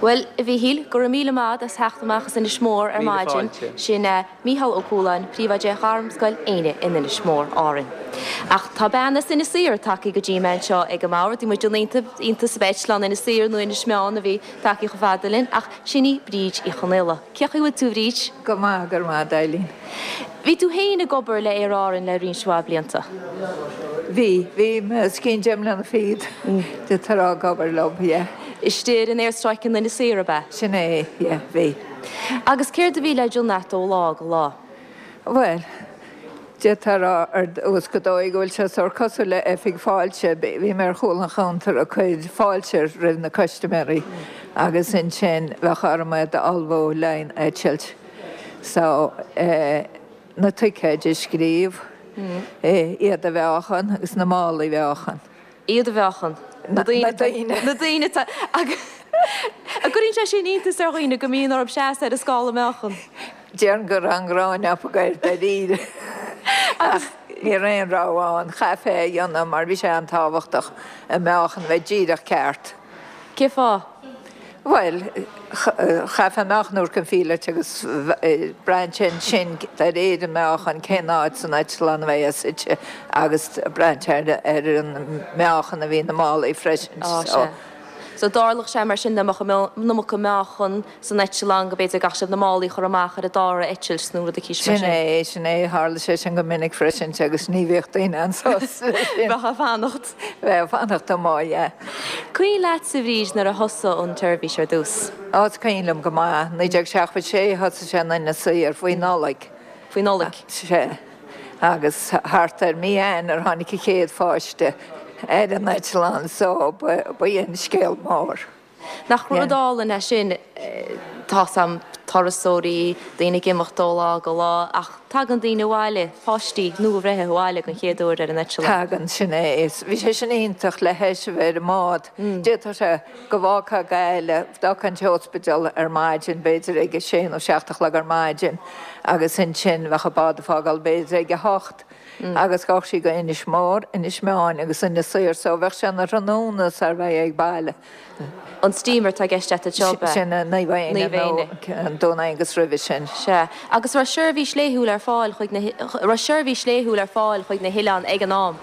Bhuel, a Mhíchíl, go raibh míle maith agat as theacht amach as Inis Mór ar Míle maidin. fáilte. Sin Mícheál Ó Cualáin, Príomhoide Ghairmscoil Éinne in Inis Mór, Árainn. Ach tá bean as Inis Oírr tagtha go dtí mé anseo ag an mbord. Bhí muid in iontas ab eitleán Inis Oírr nó Inis Meáin a bhí tagtha chomh fada linn, ach sin í Bríd Uí Chonaola. Cén chaoi a bhfuil tú, a Bhríd? Go maith, go raibh maith agat, Eileen. Bhí tú féin ag obair le Aer Árann le roinnt mhaith blianta. Bhí, bhí mé os cionn deich mbliana fichead d'fhéadfá a rá ag obair leo, yeah. Istigh ar an aerstráice in Inis Oírr, ab ea? Sin é, yeah, bhí. Agus céard a bhí le déanamh a't ó lá go lá? Bhuel, d'fhéadfá a rá ar dtús go dóigh go bhfuil sé sórt cosúil le oifig fáilte. Bhí mé ar chúl an chuntair ag cur fáilte roimh na custaiméirí agus ansin bheadh orm iad a ullmhú le haghaidh an eitilt. So, na ticéid a scríobh, iad a mheáchan agus na málaí a mheáchan. Iad a mheáchan. Na daoine. Na daoine atá. Agus an gcuireann sé sin iontas ar dhaoine go mbíonn orthu seasamh ar an scála meáchan? Déarfainn go raibh an ghráin acu air dáiríre. Ach ní raibh aon rogha ann. Chaithfeá é a dhéanamh mar bhí sé an-tábhachtach an meáchan a bheith díreach ceart. Cén fáth? Bhuel, chaithfeá an meáchan a thabhairt don phíolóta agus braitheann sé ansin de réir an meáchan cén áit san eitleán a bheidh é suite agus braitheann sé ar an meáchan a bhí na málaí freisin. Á, sea. So dtarlódh sé mar sin dá mbeadh an iomarca meáchan san eitleán go b'fhéidir go gcaithfeadh sibh na málaí a chur amach ar an dara eitilt nó rud eicínt mar Sin sin. é, sin é. Tharla sé sin go minic freisin agus ní bhíodh daoine an-sásta leis sin. Bheifeá ag fanacht. Bheifeá ag fanacht amuigh, yeah. Cuimhin leatsa, a Bhríd, nuair a thosaigh an tseirbhís ar dtús? Á, is cuimhin liom go maith. 1976 thosaigh sé in Inis Oírr, faoi Nollaig. Faoi Nollaig? Sea. Agus thart ar mí Eanáir tháinig an chéad pháiste ar an eitleán so ba í an scéal mór. Nach rud álainn é sin, tá's a'm, turasóirí, daoine ag imeacht ó lá go lá, ach tagann daoine abhaile, páistí nua-bhreithe abhaile den chéad uair ar an eitleán. Tagann, sin é. Bhí sé sin iontach le hais a bheith ar an mbád. D'fhéadfadh sé go bhfágfá Gaillimh, d'fhágfá an t-ospidéal ar maidin, b'fhéidir ag a sé nó seacht a chlog ar maidin agus ansin bheadh an bád ag fágáil b'fhéidir ag a hocht agus ghabhfadh sí go Inis Mór, Inis Meáin agus Inis Oírr so bheadh sé ina thráthnóna sar bheifeá ag baile. An steamer atá i gceist a't anseo, ab ea? Sin é, Naomh Éanna nó an Dún Aengus roimhe sin. Sea. Agus raibh seirbhís laethúil ar fáil chuig na, raibh seirbhís laethúil ar fáil chuig na hoileáin ag an am?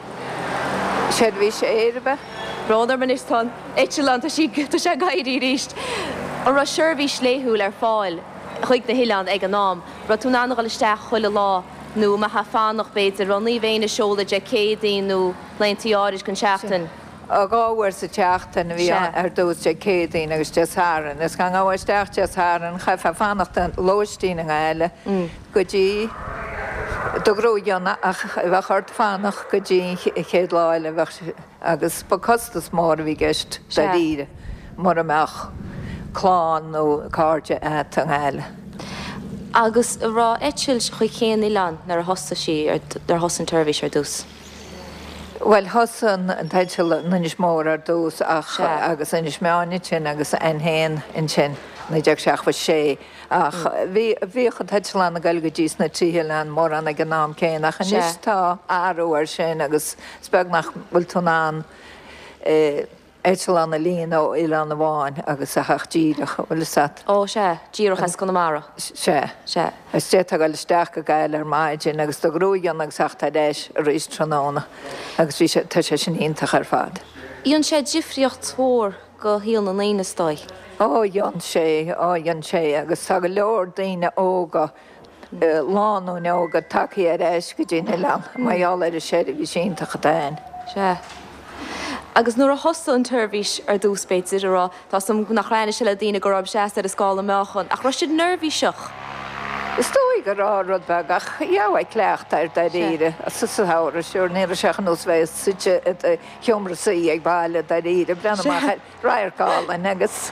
Seirbhís aeir, ab ea? Brón orm anois, tá an eitleán, tá sí, tá sé ag éirí arís. An raibh seirbhís laethúil ar fáil chuig na hoileáin ag an am? Raibh tú in ann a dhul isteach chuile lá nó an mbeifeá ag fanacht, b'fhéidir, raibh Naomh Éanna ag seoladh Dé Céadaoin nó laethanta áirid den tseachtain? 2 uair sa tseachtain a bhí ann ar dtús, Dé Céadaoin agus Dé Sathairn. Is dá ngabhfá isteach Dé Sathairn, chaithfeá fanacht i lóistín i nGaillimh go dtí do ghruaig a fhionnadh ach bheadh ort fanacht go dtí an chéad lá eile bheadh agus ba costas mór a bhí i gceist dáiríre mura mbeadh clann nó cairde agat i nGaillimh. Agus an raibh eitilt chuig chaon oileán nuair a thosaigh sí, nuair a thosaigh an tseirbhís ar dtús? Bhuel, thosaigh an t-eitilt in Inis Mór ar dtús ach, agus Inis Meáin ansin agus N1 ansin, 1976. Ach bhí, bhíodh an t-eitleán ag goil go dtí sna trí hoileán mórán ag an am céanna ach anois tá athrú air sin agus is beag nach bhfuil tú in ann eh, eitleán a líonadh ó oileán amháin agus a theacht díreach, an bhfuil fhios a't. Ó, sea, díreach as Conamara. Sea. Sea. Is d'fhéadfá dul isteach go Gaillimh ar maidin agus do ghruaig a fhionnadh agus theacht ar ais arís tráthnóna agus bhí sé, tá sé sin iontach ar fad. Dhein sé difríocht mhór go shaol na ndaoine is dóigh. Ó, dhein sé, ó, dhein sé agus tá go leor daoine óga, lánúin óga tagtha ar ais go dtí an oileán mar gheall ar an seirbhís iontach atá ann. Sea. Agus nuair a thosaigh an tseirbhís ar dtús, b'fhéidir, a raibh, tá 's agam nach raibh aithne le daoine go raibh seasamh ar an scála meáchan, ach raibh siad neirbhíseach? Is dóigh go raibh, rud beag, ach gheofá cleachtadh air dáiríre, sa samhradh, sure, ní raibh sé ar nós bheith suite i do sheomra suí ag baile dáiríre, breathnú amach ar. Radharc álainn agus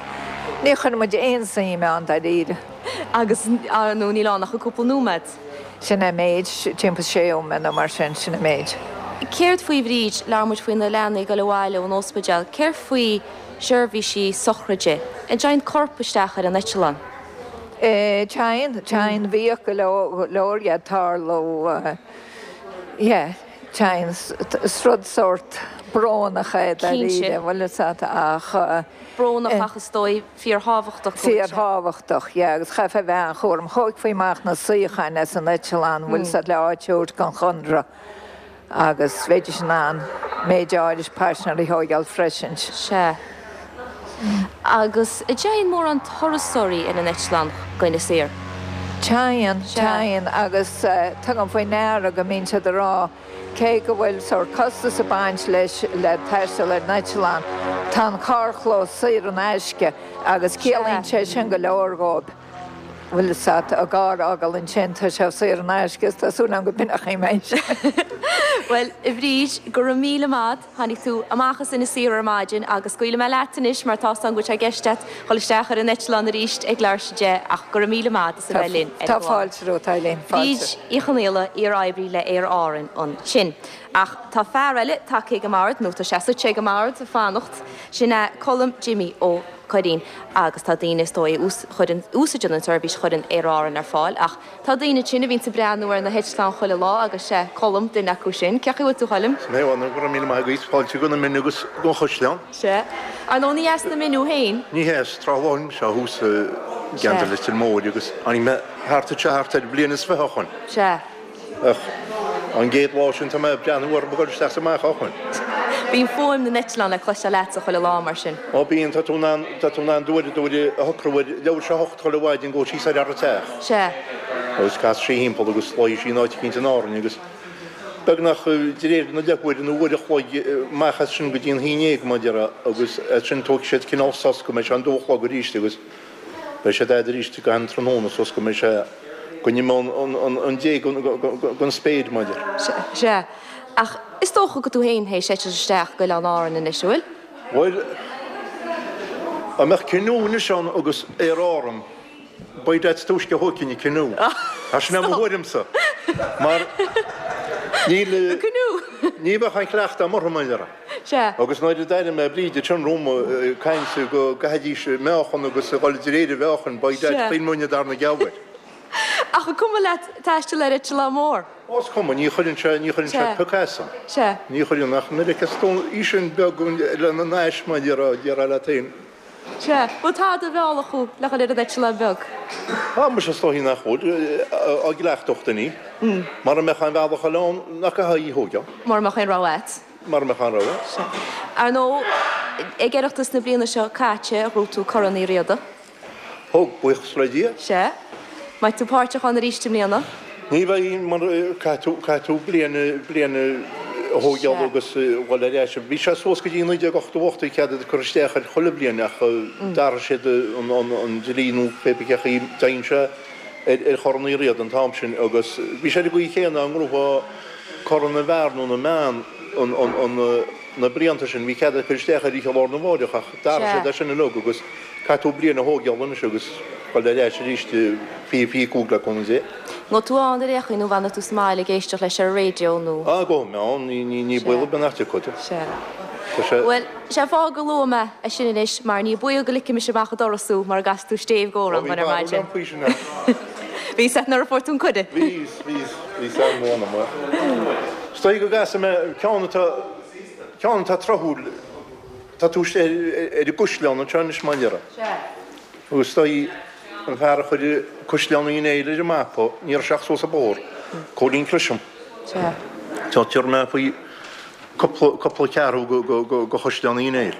ní chuireann muid aon suim ann dáiríre. Agus, ar ndóigh, níl ann ach cúpla nóiméad. Sin é an méid, timpeall sé nóiméad nó mar sin, sin an méid. Céard faoi Bhríd, labhair muid faoi na leanaí ag dul abhaile ón ospidéal, céard faoi seirbhísí sochraide? An dtéann corp isteach ar an eitleán? Téann, téann, bhíodh go leor dhe ag tarlú, yeah. Téann, is rud sórt brónach é dáiríre, bhfuil fhios a't, ach. Brónach ach is dóigh fíorthábhachtach go bhfuil sé. Fíorthábhachtach, yeah, agus chaithfeá a bheith an-chúramach. Thógfaí amach na suíocháin as an eitleán, bhfuil fhios a't, le áit a thabhairt don chónra agus bheidís in ann méid áirid paisinéirí a thóigeáil freisin. Sea. Agus an dtéann mórán turasóirí ar an eitleán go Inis Oírr? Téann, téann, agus tugaim faoi ndeara go mbíonn siad ag rá, cé go bhfuil sórt costas ag baint leis le taisteal ar an eitleán, tá an carrchlós saor in aisce agus ciallaíonn sé sin go leor dhóibh. Bhfuil fhios a't, a gcarr a fhágáil ansin, tá sé saor in aisce is tá súil agam go b'in mé. Bhuel, a Bhríd, go raibh míle maith. Tháinig tú amach as Inis Oírr ar maidin agus scaoilfidh mé leat anois mar tá 's agam go bhfuil sé i gceist a't dhul isteach ar an eitleán arís ag leathuair théis 10 ach go raibh míle maith a't as a bheith linn ar an Tá fáilte romhat, Eileen, fáilte. Bríd Uí Chonaola, iar-oibrí le Aer Árann ansin. Ach tá fear eile tagtha ag an mbord, nó tá sé suite ag an mbord ag fanacht, sin é Colm Jimmy Ó Curraoin agus tá daoine is dóigh a chuireann, úsáideann an tseirbhís a chuireann Aer Árann ar fáil ach Tá daoine ansin a bhíonns ag breathnú ar na heitleáin chuile lá agus sé Colm duine acu sin. Cén chaoi a bhfuil tú a Choilm? Is mé amháin, go raibh míle maith agat. Fáilte go na Mine agus gon Chaisleán. Sea. Ar ndóigh ní as na Mine thú féin? Ní hea, as Trá Bháin seo thuas i gceantar Leitir Móir agus tháinig mé thart anseo thart ar bhliain is fiche ó shoin. Sea. Ach an gcéad lá sin tá mé ag breathnú orthu ag dul isteach is amach ó shoin. Bíonn fuaim na n-eitleán le cloisteáil agatsa chuile lá mar sin. Ó bíonn, tá tú in ann, tá tú in ann d'uair, d'uair a shocrú ar leathuair théis a hocht chuile mhaidin go síos ar an teach. Sea. Agus casfaidh sí thimpeall agus luífidh sí in áit eicínt in Árainn agus beagnach de réir na leathuaire nó uair a chloig amach as sin go dtí an haon dhéag mar a déarfá agus as sin tógfaidh siad cineál sos go mbeidh sé an dó a chlog arís agus Beidh siad a'd arís go han tráthnóna suas go mbeidh sé go n-imeoidh an dé gon spéir, mar a déarfá. Sea. Ach is dócha go tú féin théis eitilt isteach go Oileán Árann anois, an bhfuil? Bhuel, dá mbeadh canoe anois ann agus Aer Árann, beidh that is túisce a thógfainn an canoe. Sin é mo thuairimse. Mar níl, ní bheadh aon chleachtadh agam orthu, mar a déarfá. Sea. Agus nuair a d'airigh mé Bríd ansin romham ag caint go gcaithfidís meáchan agus a dhul de réir an mheáchain, by dad, chinn muidne darna geall air. Ach an cuma leat taisteal ar eitleán mór? Ó, is cuma, ní chuireann sé, ní chuireann sé pioc asam. Sea. Ní chuireann ach nuair a fheiceas tú í sin beag lena n-ais mar a déarfá, déarfá leat féin. Sea. Bhfuil tada a mheallfadh thú le dhul ar an eitleán beag? Tá, muise is dóichí nach bhfuil, á gcleachtadh duine. Mara mbeadh aon bhealach eile ann nach gcaithfeá í a thóigeáil. Mura mbeadh aon rogha agat. mara mbeadh aon rogha. Sea. Ar ndóigh, ag Oireachtas na bliana seo caite, ghnóthaigh tú Corn Uí Riada. Thug, buíochas le Dia. Sea. Mbeidh tú páirteach ann arís i mbliana? Ní bheidh, mar caithfidh tú, caithfidh tú bliain, bliain a thógáil agus a dhul ar ais. Bhí sé suas go dtí 1988 bhí cead cur isteach air chuile bhliain ach d'athraigh siad an dlí nó pé bith cé chaoi dtearn sé ar Chorn Uí Riada an t-am sin agus bhí sé ar an gcaoi chéanna dá ngnóthófá Corn na bhFear nó na mBan an na blianta sin, bhí cead cur isteach ar oíche lá arna mháireach ach d'athraigh siad é sin uilig agus caithfidh tú bliain a thógáil anois agus dul ar ais arís 20, 25 le cúnamh Dé. An mbeidh tú ann ar aon chaoi nó fanfaidh tú sa mbaile ag éisteacht leis ar an raidió nó? Ah, gabhfaidh mé ann, ní baol ar bith nach dtiocfad. Sea. Bhuel, sé an fáth gur luaigh mé é sin anois mar ní baol go ligfimis amach an doras thú mura gcasfaidh tú stéibh dhomh ar maidin. Bhí barúil agam faoi sin ach. Bhí a fhios agat nuair a fuair tú an cuireadh. Bhí, bhí, bhí a fhios agam ó anam. Is dóigh go gcasfaidh mé ceann atá, ceann atá tráthúil, tá tú ar an gCaisleán anseo anois mar a déarfá. Sea. Agus is dóigh an fear a chuir Caisleán Uí Néill ar an mapa, ní raibh sé ach suas an bóthar, Cóilín Clisham. Sea. Tá, tiúrfaidh mé faoi cúpla, cúpla ceathrú go Chaisleán Uí Néill.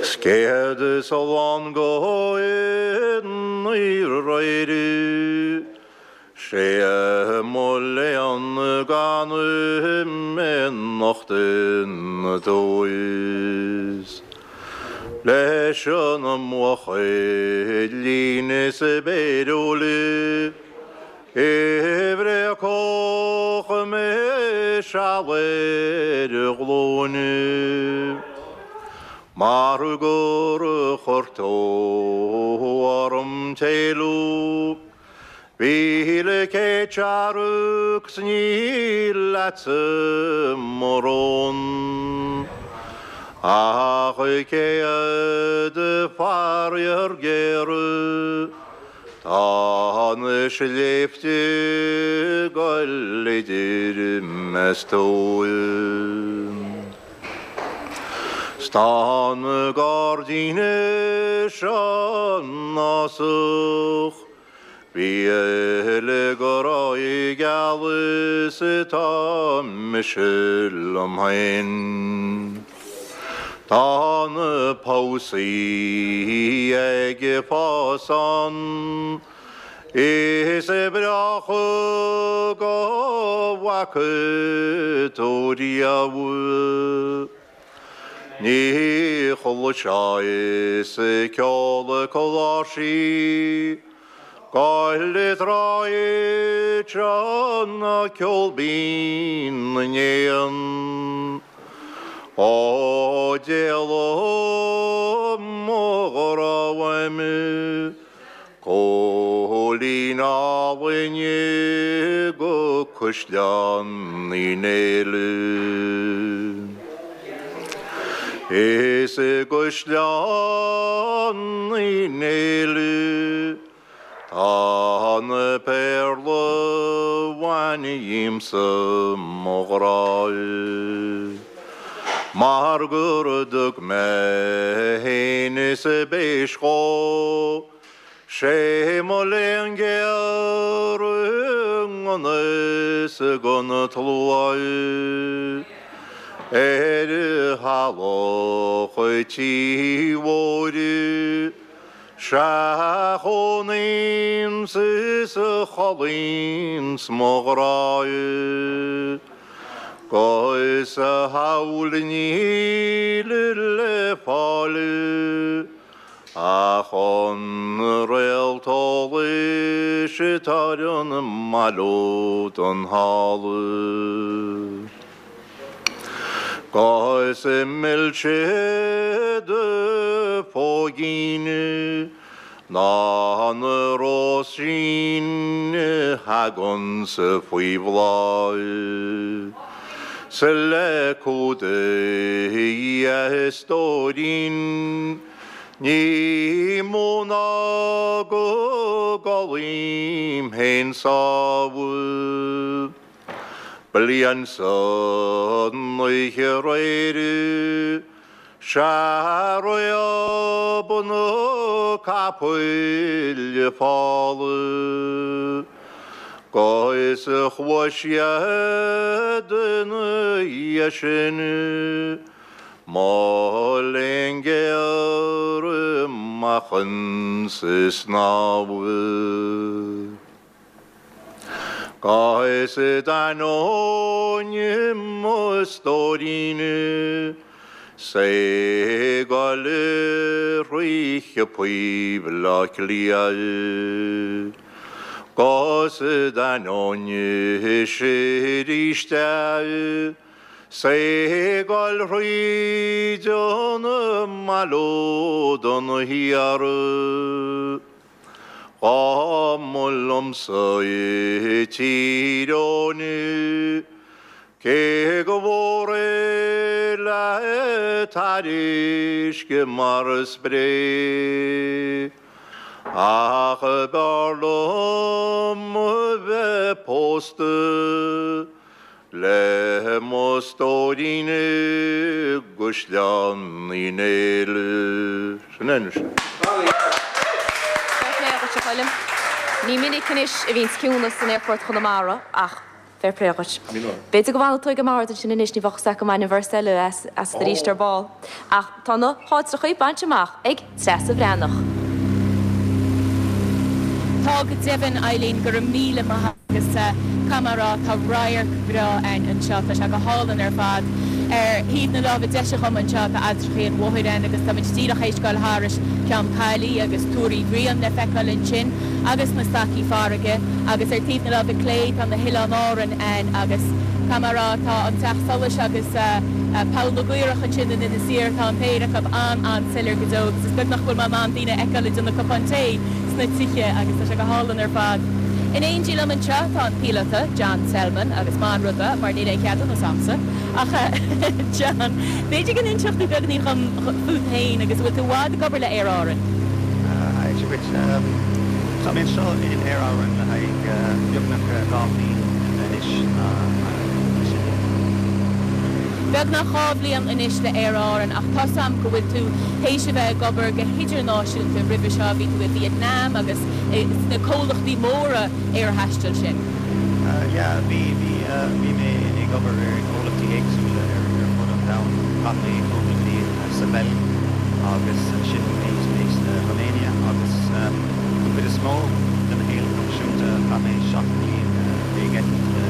'S céad is a lán go n-éirí 'Sé mo léan gan imeacht ina dtús Leis an mbuachaillín is béiriúil I bhfraoch mé seal ar a ghlúine Mar gur chuir tú orm t-éalú 1,100 searc 's níl leatsa mo rún Ach 100 faraor géar Tá na sléibhte ag goil idir mé 's tú. 'S tá an gairdín seo ná-sach. Bhí le grá geal is atá mise liom féin. Tá na pósaí ag fás ann is breácha go bhfaca tú riamh. Ní chloiseas ceol cláirsí Gabháil tráth seo ná ceol binn na n-éan. Ó d'éalaigh mo ghrá uaim, Cóilín álainn go Caisleán Uí Néill. Is i gCaisleán Uí Néill tá na péarla bhain dhíomsa mo ghrá Mar gur thug mé fhéin is b'éis dhó 'Sé mo léan géar i ngan fhios don tslua Ar thalamh an tí mhóir 'Sea a chónaíonns is a chodlaíonns mo ghrá 'Gus thall níl le fáil Ach an réalt eolais atá ar an mbaile don thalamh. 'Gus is milse do phóigín ná na róisín a thaganns faoi bhláth. 'S le cumha a stóirín. Ní mó ná go gcodlaím féin sámh. Bliain san oíche aréir 'sea réab na capaill fola. Is chuaigh siad ina dhiaidh sin, Mo léan géar amach insa snámh. Is d'ainneoin mo stóirín 's é ag goil thrí shiopaí Bhaile Átha Cliath. 'Gus d'ainneoin sin arís é 's é ag goil thríd an mbaile ó Dún Thiar. Dá mba liomsa í Tír Eoghain, cé gur mhór é le tairisce mar spré, ach b'fhearr liom a bheith pósta Le mo stóirín i gCaisleán Uí Néill. Sin é anois. Fair play dhuit, a Choilm. Ní minic anois a bhíonns ciúnas in Aerfort Chonamara ach fair play dhuit. B'fhéidir go bhfanfaidh tú ag an mbord ansin anois, ní bheadh fhios agat go mbainfinn an véarsa eile asat arís ar ball. Ach tá na haltrachaí bainte amach ag Treasa Bhreathnach. Tá go deimhin, Eileen, go raibh míle maith agat agus caithfidh mé a rá, tá radharc breá ann anseo, tá sé go hálainn ar fad. Ar thaobh na láimhe deise dhom anseo tá Ailltreachaí an Mhothair ann agus táimid díreach théis dul thairis Ceann Caillí agus Túr Uí Bhriain le feiceáil ansin agus na stacaí farraige agus ar taobh na láimhe clé tá na hOileáin Árann ann agus caithfidh mé a rá tá an Teach Solais agus Poll na gCaorach ansin in Inis Oírr, tá an péire acu an-an-soiléir go deo agus is beag nach bhfuil mé in ann daoine a fheiceáil ag déanamh cupán tae sna tithe agus tá sé go hálainn ar fad. In éindí liom anseo tá an píolóta John Selman agus maith an rud é mar níl aon cheadúnas a'msa ach John, b'fhéidir go n-inseodh tú beagáinín dhom fút féin agus an bhfuil tú i bhfad ag obair le Aer Árann? Sea duit. Tá mé anseo in Aer Árann le haghaidh beagnach 2 bhliain anois. Beagnach 2 bhliain anois le Aer Árann ach tá's a'm go bhfuil tú théis a bheith ag obair go hidirnáisiúnta roimhe seo, bhí tú i Vietnam agus sna comhlachtaí móra aerthaistil sin. Yeah, bhí, bhí, bhí mé ag obair ar chomhlachtaí éagsúla ar fud an domhain. Chaith mé cúpla bliain sa Bheilg agus ansin bhí mé sa Romania agus don chuid is mó de mo shaol proifisiúnta chaith mé 7 mbliain ag eitilt le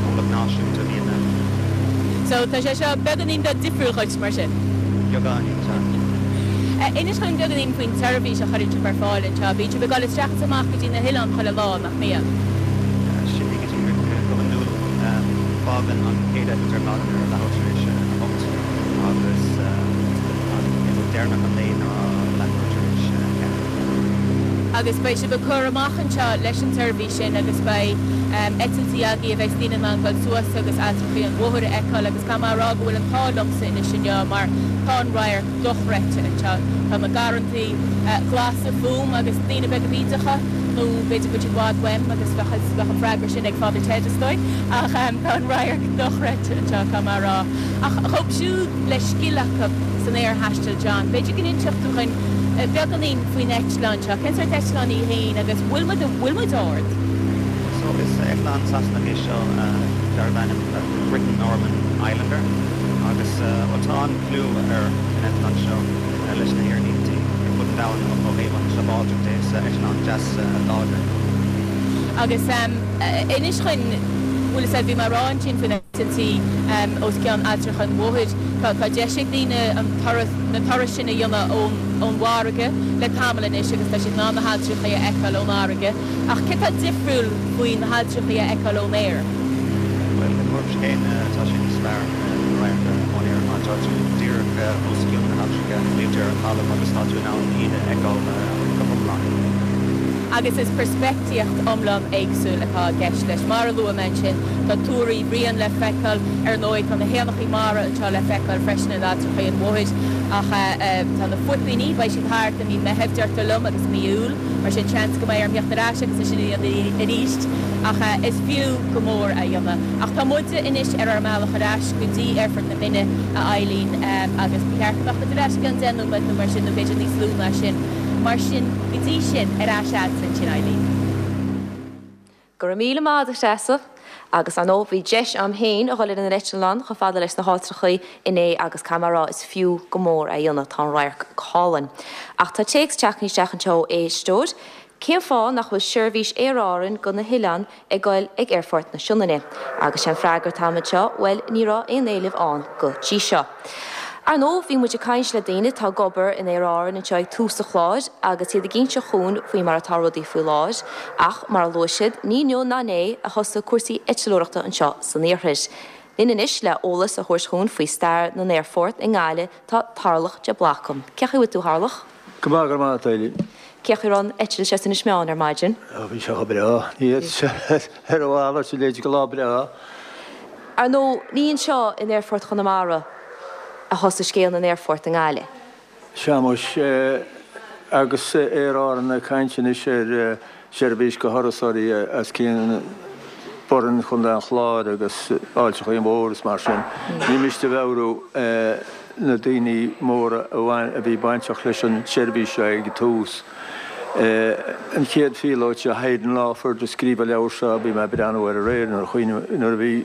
comhlacht náisiúnta Vítneam. So tá sé seo beagáinín beag difriúil dhuit mar sin? Beagáinín, tá. Inis dúinn beagáinín faoin tseirbhís a chuireann sibh ar fáil anseo. Bíonn sibh ag dul isteach is amach go dtí na hoileáin chuile lá, nach mbíonn? Sin é go díreach. Go hiondúil fágann an chéad eitilt ar maidin ar leathuair tar éis a hocht agus an eitilt deireanach an lae ná leathuair tar éis a ceathair. Agus beidh sibh ag cur amach anseo leis an tseirbhís sin agus beidh eitiltí agaibh a bheidh daoine in ann dul suas agus Ailltreachaí an Mhothair a fheiceáil agus caithfidh mé a rá go bhfuil an t-ádh liomsa anois inniu mar tá an radharc dochreidte anseo. Tá na garrantaí glasa fúm agus daoine beaga bídeacha nó b'fhéidir go bhfuil siad i bhfad uaim agus bheadh an freagra sin ag Father Ted is dóigh ach tá an radharc dochreidte anseo caithfidh mé a rá. Ach dhóibh siúd le scil acu san aerthaisteal John, b'fhéidir go n-inseodh tú dhuinn beagáinín faoin eitleán seo. Cén sórt eitleán í féin agus bhfuil muid, bhfuil muid ard? So is eitleán Sasanach é seo darb ainm Britten Norman Islander agus bhuel tá an-chlú ar an eitleán seo leis na haerlínte ar fud an domhain ó thaobh an tsábháilteacht de. Is eitleán deas láidir. Agus inis dhuinn, bhfuil fhios a'd, bhí mé a rá ansin faoi na heitiltí os cionn Ailltreacha an Mhothair, tá deis ag daoine an turas, na turais sin a dhéanamh ón ón bhfarraige le tamall anois agus tá siad in ann na hailltreachaí a fheiceáil ón bhfarraige. Ach céard tá difriúil faoi na hailltreachaí a fheiceáil ón aer? Bhuel, i mo thuairimse féin, tá sé níos fearr an radharc ón aer mar tá tú díreach os cionn na hailltreacha, níl tú ar an talamh agus tá tú in ann iad a fheiceáil go hiomlán. Agus is peirspictíocht iomlán éagsúil atá i gceist leis. Mar a luaigh mé ansin, tá Túr Uí Bhriain le feiceáil, ar ndóigh tá na héanachaí mara anseo le feiceáil freisin in Ailltreachaí an Mhothair, ach tá na fuipíní, beidh siad thart i mí Meithimh deirtear liom agus mí Iúil, mar sin seans go mbeidh orm theacht ar ais agus é sin a dhéanamh arís, ach is fiú go mór é a dhéanamh. Ach tá muide anois ar ár mbealach ar ais go dtí Aerfort na Binne, a Eileen, agus ba cheart go mbeadh muid ar ais i gceann 10 nóiméad nó mar sin, nó b'fhéidir níos lú ná sin. Mar sin, go dtí sin, ar ais a'dsa ansin, Eileen. Go raibh míle maith agat a Threasa. Agus ar ndóigh bhí deis a'm féin a dhul ar an eitleán chomh fada leis na háitreachaí inné agus caithfidh mé a rá is fiú go mór é a dhéanamh, tá an radharc go hálainn. Ach tá téacs teagtha isteach anseo ó éisteoir, Cén fáth nach bhfuil seirbhís Aer Árann go na hoileáin ag goil ag Aerfort na Sionainne? Agus sé an freagra atá agam anseo, bhuel, ní raibh aon éileamh ann go dtí seo. Ar ndóigh, bhí muid ag caint le daoine atá ag obair in Aer Árann anseo ag tús an chláir agus iad ag inse chugainn faoi mar atá rudaí faoi láthair, ach mar a luaigh siad, ní inniu ná inné a thosaigh cúrsaí eitleoireachta anseo san iarthar. Linn anois le eolas a thabhairt chugainn faoi stair na n-aerfort i nGaillimh tá Tarlach de Blácam. Cén chaoi a bhfuil tú, a Tharlach? Go maith, go raibh maith agat, a Eilín. Cén chaoi a raibh an eitilt as Inis Meáin ar maidin? Ó, bhí sé chomh breá. Ní fhéadfadh sé ar a mhalairt, a leithéid de lá breá. Ar ndóigh, ní anseo in Aerfort Chonamara a thosaigh scéal na n-aerfort i nGaillimh. Sea, muis, agus Aer Árann ag caint anois ar seirbhís go thurasóirí as Cionn Boirinn, Chontae an Chláir agus Ailt an Chaoin Mhór is mar sin. Ní miste a mheabhrú na daoine móra a bhí bainteach leis an tseirbhís seo ag an tús. An chéad phíolóit seo, Hayden Lawford, a scríobh an leabhar seo, bhí mé ag breathnú air aréir nuair a chuimhní, nuair a bhí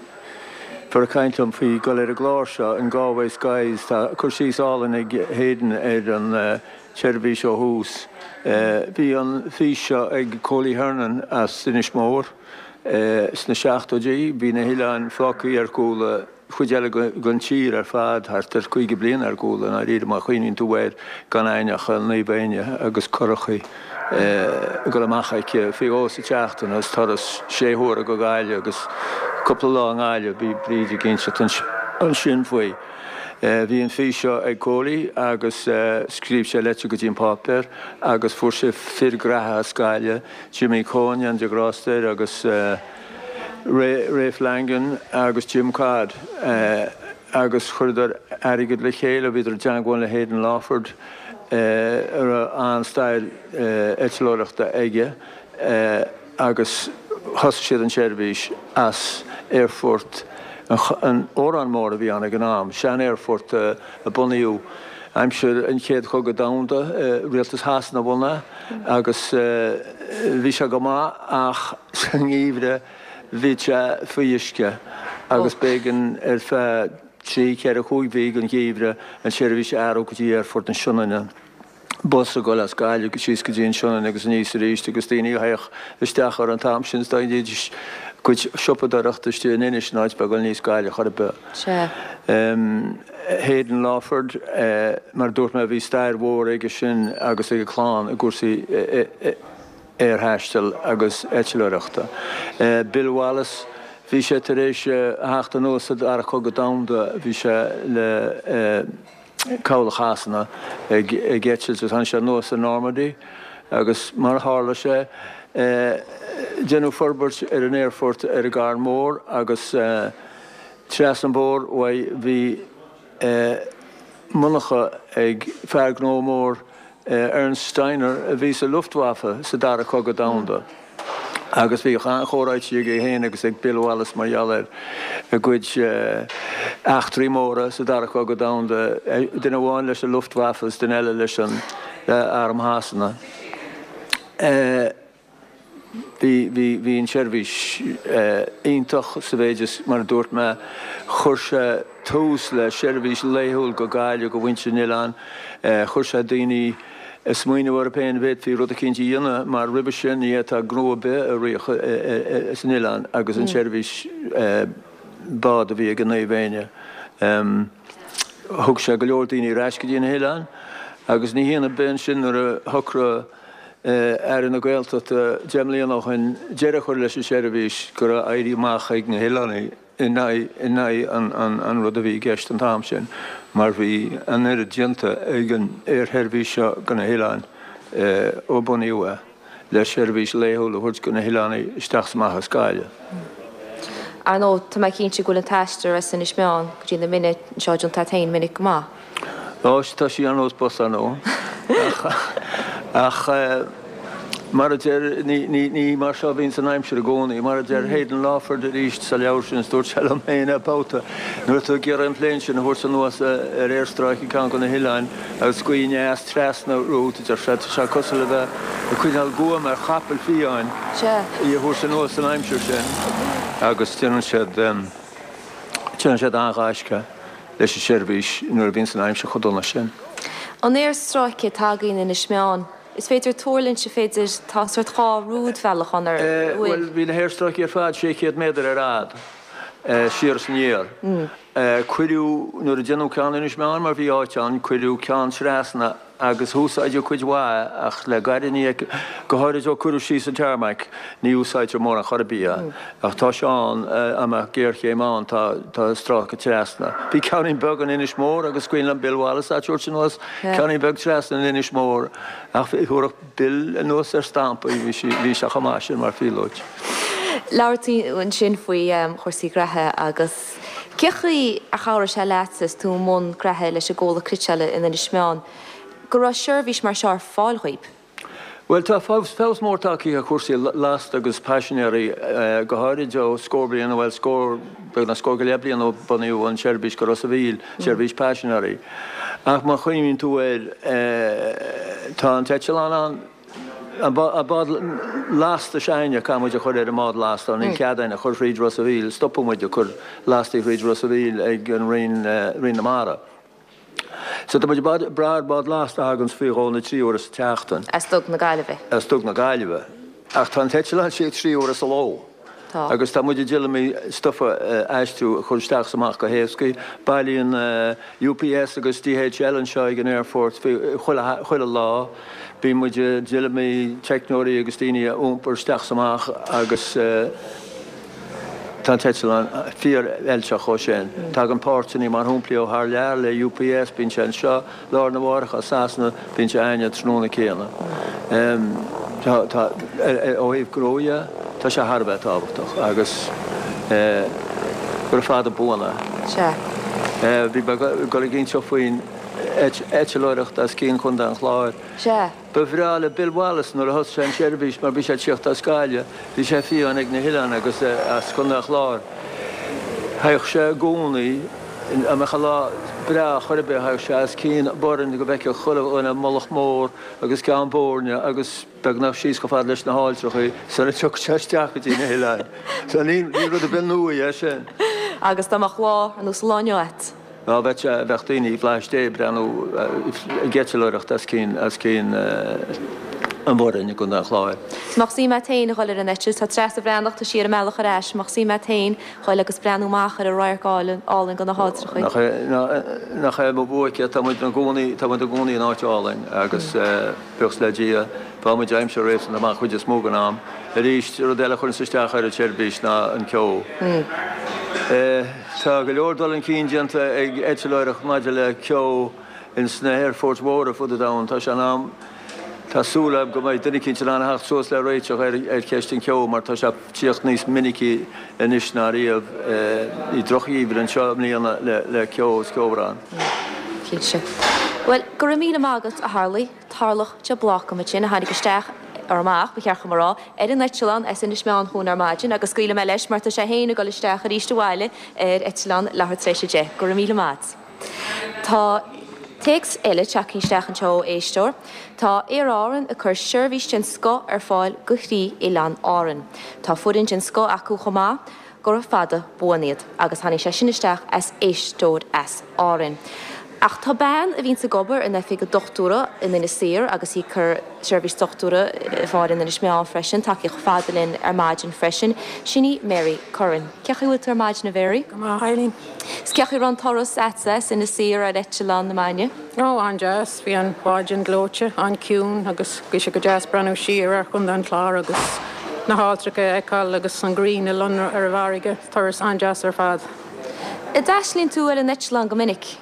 fear ag caint liom faoi dul ar an gclár seo, in Galway Skies. Tá cur síos álainn ag Hayden ar an tseirbhís ó thús. Bhí an fhís seo ag Coley Hernon as Inis Mór sna seachtóidí. Bhí na hoileáin fágtha ar gcúl, an chuid eile den tír ar fad thart ar 50 bliain ar gcúl i ndáiríre má chuimhníonn tú air, gan againn ach an Naomh Éinne agus curachaí ag dul amach aici faoi dhó sa tseachtain agus turas sé huaire go Gaillimh agus cúpla lá i nGaillimh. Bhí Bríd ag inseacht ansin faoi. Bhí an fís seo ag Coley agus scríobh sé leitir go dtí an páipéar agus fuair sé fir graithe as Gaillimh, Jimmy Coen, Dia grásta air, agus Ray Flanagan agus Jim Codd agus chuireadar airgead le chéile, bhíodar i dteangmháil le Hayden Lawford a raibh an-stair eitleoireachta aige. agus thosaigh siad an tseirbhís as aerfort an Órán Mór a bhí ann ag an am, sean-aerfort a bunaíodh aimsir an Chéad Chogadh Domhanda, Rialtas Shasana a bhunaigh é agus bhí sé go maith ach sa ngeimhreadh bhí sé faoi uisce agus b'éigean ar feadh trí, ceithre, chúig mhí den gheimhreadh an tseirbhís a athrú go dtí aerfort na Sionainne. bus ag dul as Gaillimh síos go dtí an Sionainn agus aníos arís agus daoine a théadh isteach ar an t-am sin is dhéanaidís a gcuid siopadóireachta istigh in Inis in áit bheith ag dul aníos Gaillimh chor ar bith. Sea. Hayden Lawford, mar a dúirt mé bhí stair mhór aige sin agus ag a chlann i gcúrsaí aerthaistil agus eitleoireachta. Bill Wallace, bhí sé tar éis a theacht anuas sa Dara Cogadh Domhanda, bhí sé le. Cabhlach Shasana ag eitilt agus tháinig sé anuas i Normandy agus mar a tharla sé deineadh forbairt ar an aerfort ar an gCarn Mór agus trasna an bóthar uaidh bhí monarcha ag fear gnó mór Ernst Steiner a bhí sa Luftwaffe sa Dara Cogadh Domhanda agus bhíodh an-chomhráití aige féin agus ag Bill Wallace mar gheall ar a gcuid eachtraí móra sa Dara Cogadh Domhanda, duine amháin leis an Luftwaffe agus duine eile leis an Arm Shasana. Bhí, bhí, bhí an tseirbhís iontach sa mhéid is, mar a dúirt mé, chuir sé tús le seirbhís laethúil go Gaillimh go mhuintir an oileáin, chuir sé daoine ag smaoineamh orthu féin an bhféadfaí rud eicínt a dhéanamh mar roimhe sin ní fhéadfá gnó ar bith a rith san oileán agus an tseirbhís bád a bhí ag an Naomh Éinne. Thug sé go leor daoine ar ais go dtí na hoileáin agus ní hionadh ar bith ansin nuair a shocraigh Aire na Gaeltachta deich mbliana ó shin deireadh a chur leis an seirbhís go raibh éirí amach ag na hoileánaigh in aghaidh an rud a bhí i gceist an t-am sin mar bhí an oiread déanta ag an aersheirbhís seo go na hoileáin ó bunaíodh é le seirbhís laethúil a thabhairt go na hoileánaigh isteach is amach as Gaillimh. Ar ndóigh, tá mé cinnte go bhfuil an t-aistear as Inis Meáin go dtí na Mine anseo déanta agat féin minic go maith. Ó, tá sí ar nós bus, ar ndóigh. Ach, ach. Mar a deir, ní mar seo a bhíonns an aimsir i gcónaí. Mar a deir Hayden Lawford arís sa leabhar sin, is dúirt sé liom féin é babhta, nuair atá tú ag iarraidh an plane sin a thabhairt anuas ar aerstráice ceann de na hoileáin agus gaoth aneas trasna romhat, a deir sé, tá sé cosúil le bheith ag coinneáil guaim ar chapall fiáin í a thabhairt anuas san aimsir sin. Agus déanann siad, déanann siad an-ghaisce leis an seirbhís nuair a bhíonns an aimsir chomh dona sin. An aerstráice atá againn in Inis Meáin. Is féidir tuirlingt, is féidir, tá sórt 2 rúidbhealach ann ar bhfuil? Bhuel, bhí na haerstráicí ar fad 600 méadar ar fhad, siar is aniar. Cuireadh, nuair a déanadh ceann Inis Meáin, mar bhí áit ann, cuireadh ceann trasna agus úsáideadh cuid mhaith ach le gairid ní, go háirid ó cuireadh síos an tarmac, ní úsáidtear mórán chor ar bith é. Ach tá sé ann, dá mbeadh géarchéim ann, tá, tá stráice trasna. Bhí ceainnín beag in Inis Mór agus is cuimhin liom Bill Wallace á tabhairt anuas, ceainnín beag trasna in Inis Mór ach thabharfadh Bill anuas ar stampa í, bhí sí, bhí sé chomh maith sin mar phíolóit. Labhair tú ansin faoi chúrsaí graithe agus cé chaoi ar chabhraigh sé leatsa is tú i mbun graithe leis an gcomhlacht cniotála in Inis Meáin go raibh seirbhís mar seo ar fáil dhaoib? Bhuel, tá feabhas mór tagtha ar chúrsaí lasta agus paisinéirí, go háirid ó scór bliain, bhuel, scór, beagnach scór go leith bliain ó bunaíodh an tseirbhís go Ros a' Mhíl, seirbhís paisinéirí. Ach má chuimhníonn tú air, tá an t-eitleán ann, an bád lasta s'againne, caithfidh muid a chur ar an mbád lasta, níl cead againn a chur thríd Ros a' Mhíl, stopadh muid ag cur lastaí thríd Ros a' Mhíl ag an Rinn, Rinn na Mara. So tá muid ag brath ar bád lasta a thaganns faoi dhó nó 3 huaire sa tseachtain. As Dug na Gaillimhe. As Dug na Gaillimhe. Ach tá an t-eitleán istigh 3 huaire sa ló. Tá. Agus tá muid i dtuilleamaí stuif a aistriú, a chur isteach is amach go héascaí. Bailíonn UPS agus DHL anseo ag an aerfort faoi chuile, chuile lá. Bíonn muid i dtuilleamaí teicneoirí agus daoine a iompar isteach is amach agus. Tá an t-eitleán fíor-fheilteach dhó sin. Tagann páirteanna mar shampla ó thar lear le UPS, bíonn sé anseo lá arna mháireach as Sasana, bíonn sé againne an tráthnóna céanna. Tá, tá, ó thaobh gnó dhe, tá sé thar a bheith tábhachtach agus gura fada buan é. Sea. Bhí mé ag dul ag inseacht faoin eitleoireacht as cionn Chontae an Chláir. Sea. Ba bhreá le Bill Wallace nuair a thosaigh sé an tseirbhís mar bhí sé ag tíocht as Gaillimh, bhí sé fiáin ag na hoileáin agus as Contae an Chláir. Thagadh sé i gcónaí, dá mbeadh an lá breá chor ar bith, thagadh sé os cionn Boirinn go bhfeicfeadh chuile dhuine Mullach Mór agus Ceann Boirne agus beagnach síos chomh fada leis na hAilltreachaí sula dtiocfadh sé isteach go dtí na hoileáin. So ní rud ar bith nua é sin. Agus dá mbeadh lá ar nós an lá inniu a't. Á bheadh sé, bheadh daoine i bhFlaitheas Dé ag breathnú, ag eitleoireacht as cionn, as cionn an Bhoirinn i gContae an Chláir. Is mbeadh suim a't féin a dhul ar an eitilt, tá Treasa Bhreathnach, tá sí ar an mbealach ar ais, mbeadh suim a't féin dhul agus breathnú amach ar an radharc álainn, álainn de na hAlltrachaí. Nach é, nach é mo bhuaic é, tá muid ina gcónaí, tá muid i gcónaí in áit álainn agus buíochas le Dia, faigheann muid aimsir réasúnta maith chuid is mó den am. Arís, rud eile a chuireanns isteach ar an tseirbhís ná an ceo. Tá go leor dul chun cinn déanta ag eitleoireacht maidir le ceo ins na haerfoirt mhóra fud an domhain. Tá sé in am, tá súil agam go mbeidh duine eicínt in ann a theacht suas le réiteach ar cheist an cheo mar tá sé ag tíocht níos minicí anois ná riamh. Bhí drochgheimhreadh anseo i mbliana le ceo is ceobhrán. Cinnte. Bhuel, go raibh míle maith agat, a Tharlaigh. Tarlach de Blácam ansin, a tháinig isteach, or amach, ba cheart dhom a rá, ar an eitleán as Inis Meáin chugainn ar maidin agus scaoilfidh mé leis mar tá sé féin ag dul isteach arís abhaile ar eitleán leathuair tar éis 10. Go raibh míle maith a't. Tá téacs eile tagtha isteach anseo ó éisteoir. Tá Aer Árann ag cur seirbhís den scoth ar fáil go thrí Oileáin Árann. Tá foireann den scoth acu chomh maith. Gura fada buan iad. Agus tháinig sé sin isteach as éisteoir as Árainn. Ach tá bean a bhíonns ag obair in oifig an dochtúra in Inis Oírr agus í ag cur seirbhís dochtúra ar fáil in Inis Meáin freisin, tagtha chomh fada linn ar maidin freisin. Sin í Mary Curran. Cén chaoi a bhfuil tú ar maidin a Mhary? Go maith, Eileen. Is cén chaoi a raibh an turas a'dsa as Inis Oírr ar eitleán ar maidin? Ó, an-deas. Bhí an mhaidin gleoite, an-ciúin agus bhí sé go deas breathnú siar ar Chontae an Chláir agus na hAlltracha a fheiceáil agus an ghrian ag lonradh ar an bhfarraige. Turas an-deas ar fad. An dtaistealaíonn tú ar an eitleán go minic?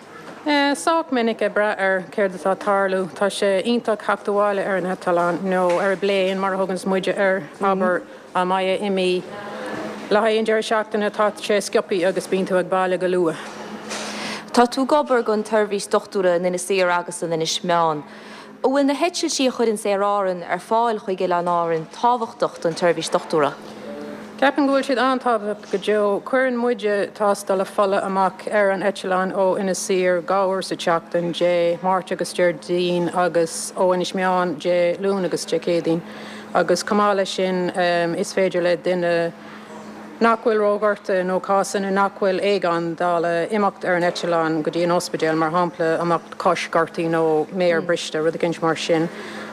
Sách minic, ag brath ar céard atá ag tarlú. Tá sé iontach theacht abhaile ar an eitleán nó ar an bplane mar a thuganns muide air, abair. Dá mbeifeá imithe le haghaidh an deireadh seachtaine tá sé sciobthaí agus bíonn tú ag baile go luath. Tá tú ag obair don tseirbhís dochtúra in Inis Oírr agus in Inis Meáin. An bhfuil na heitiltí a chuireanns Aer Árann ar fáil chuig Oileáin Árann tábhachtach don tseirbhís dochtúra? Ceapaim go bhfuil siad an-tábhachtach go deo. Cuireann muide tástála fola amach ar an eitleán ó Inis Oírr 2 uair sa tseachtain, Dé Máirt agus Déardaoin, agus ó Inis Meáin Dé Luain agus Dé Céadaoin. Agus chomh maith leis sin, is féidir le duine nach bhfuil róghortaithe nó cásanna nach bhfuil éigeandála imeacht ar an eitleán go dtí an ospidéal, mar shampla, a mbeadh cois gortaithe nó méar briste, rud eicínt mar sin.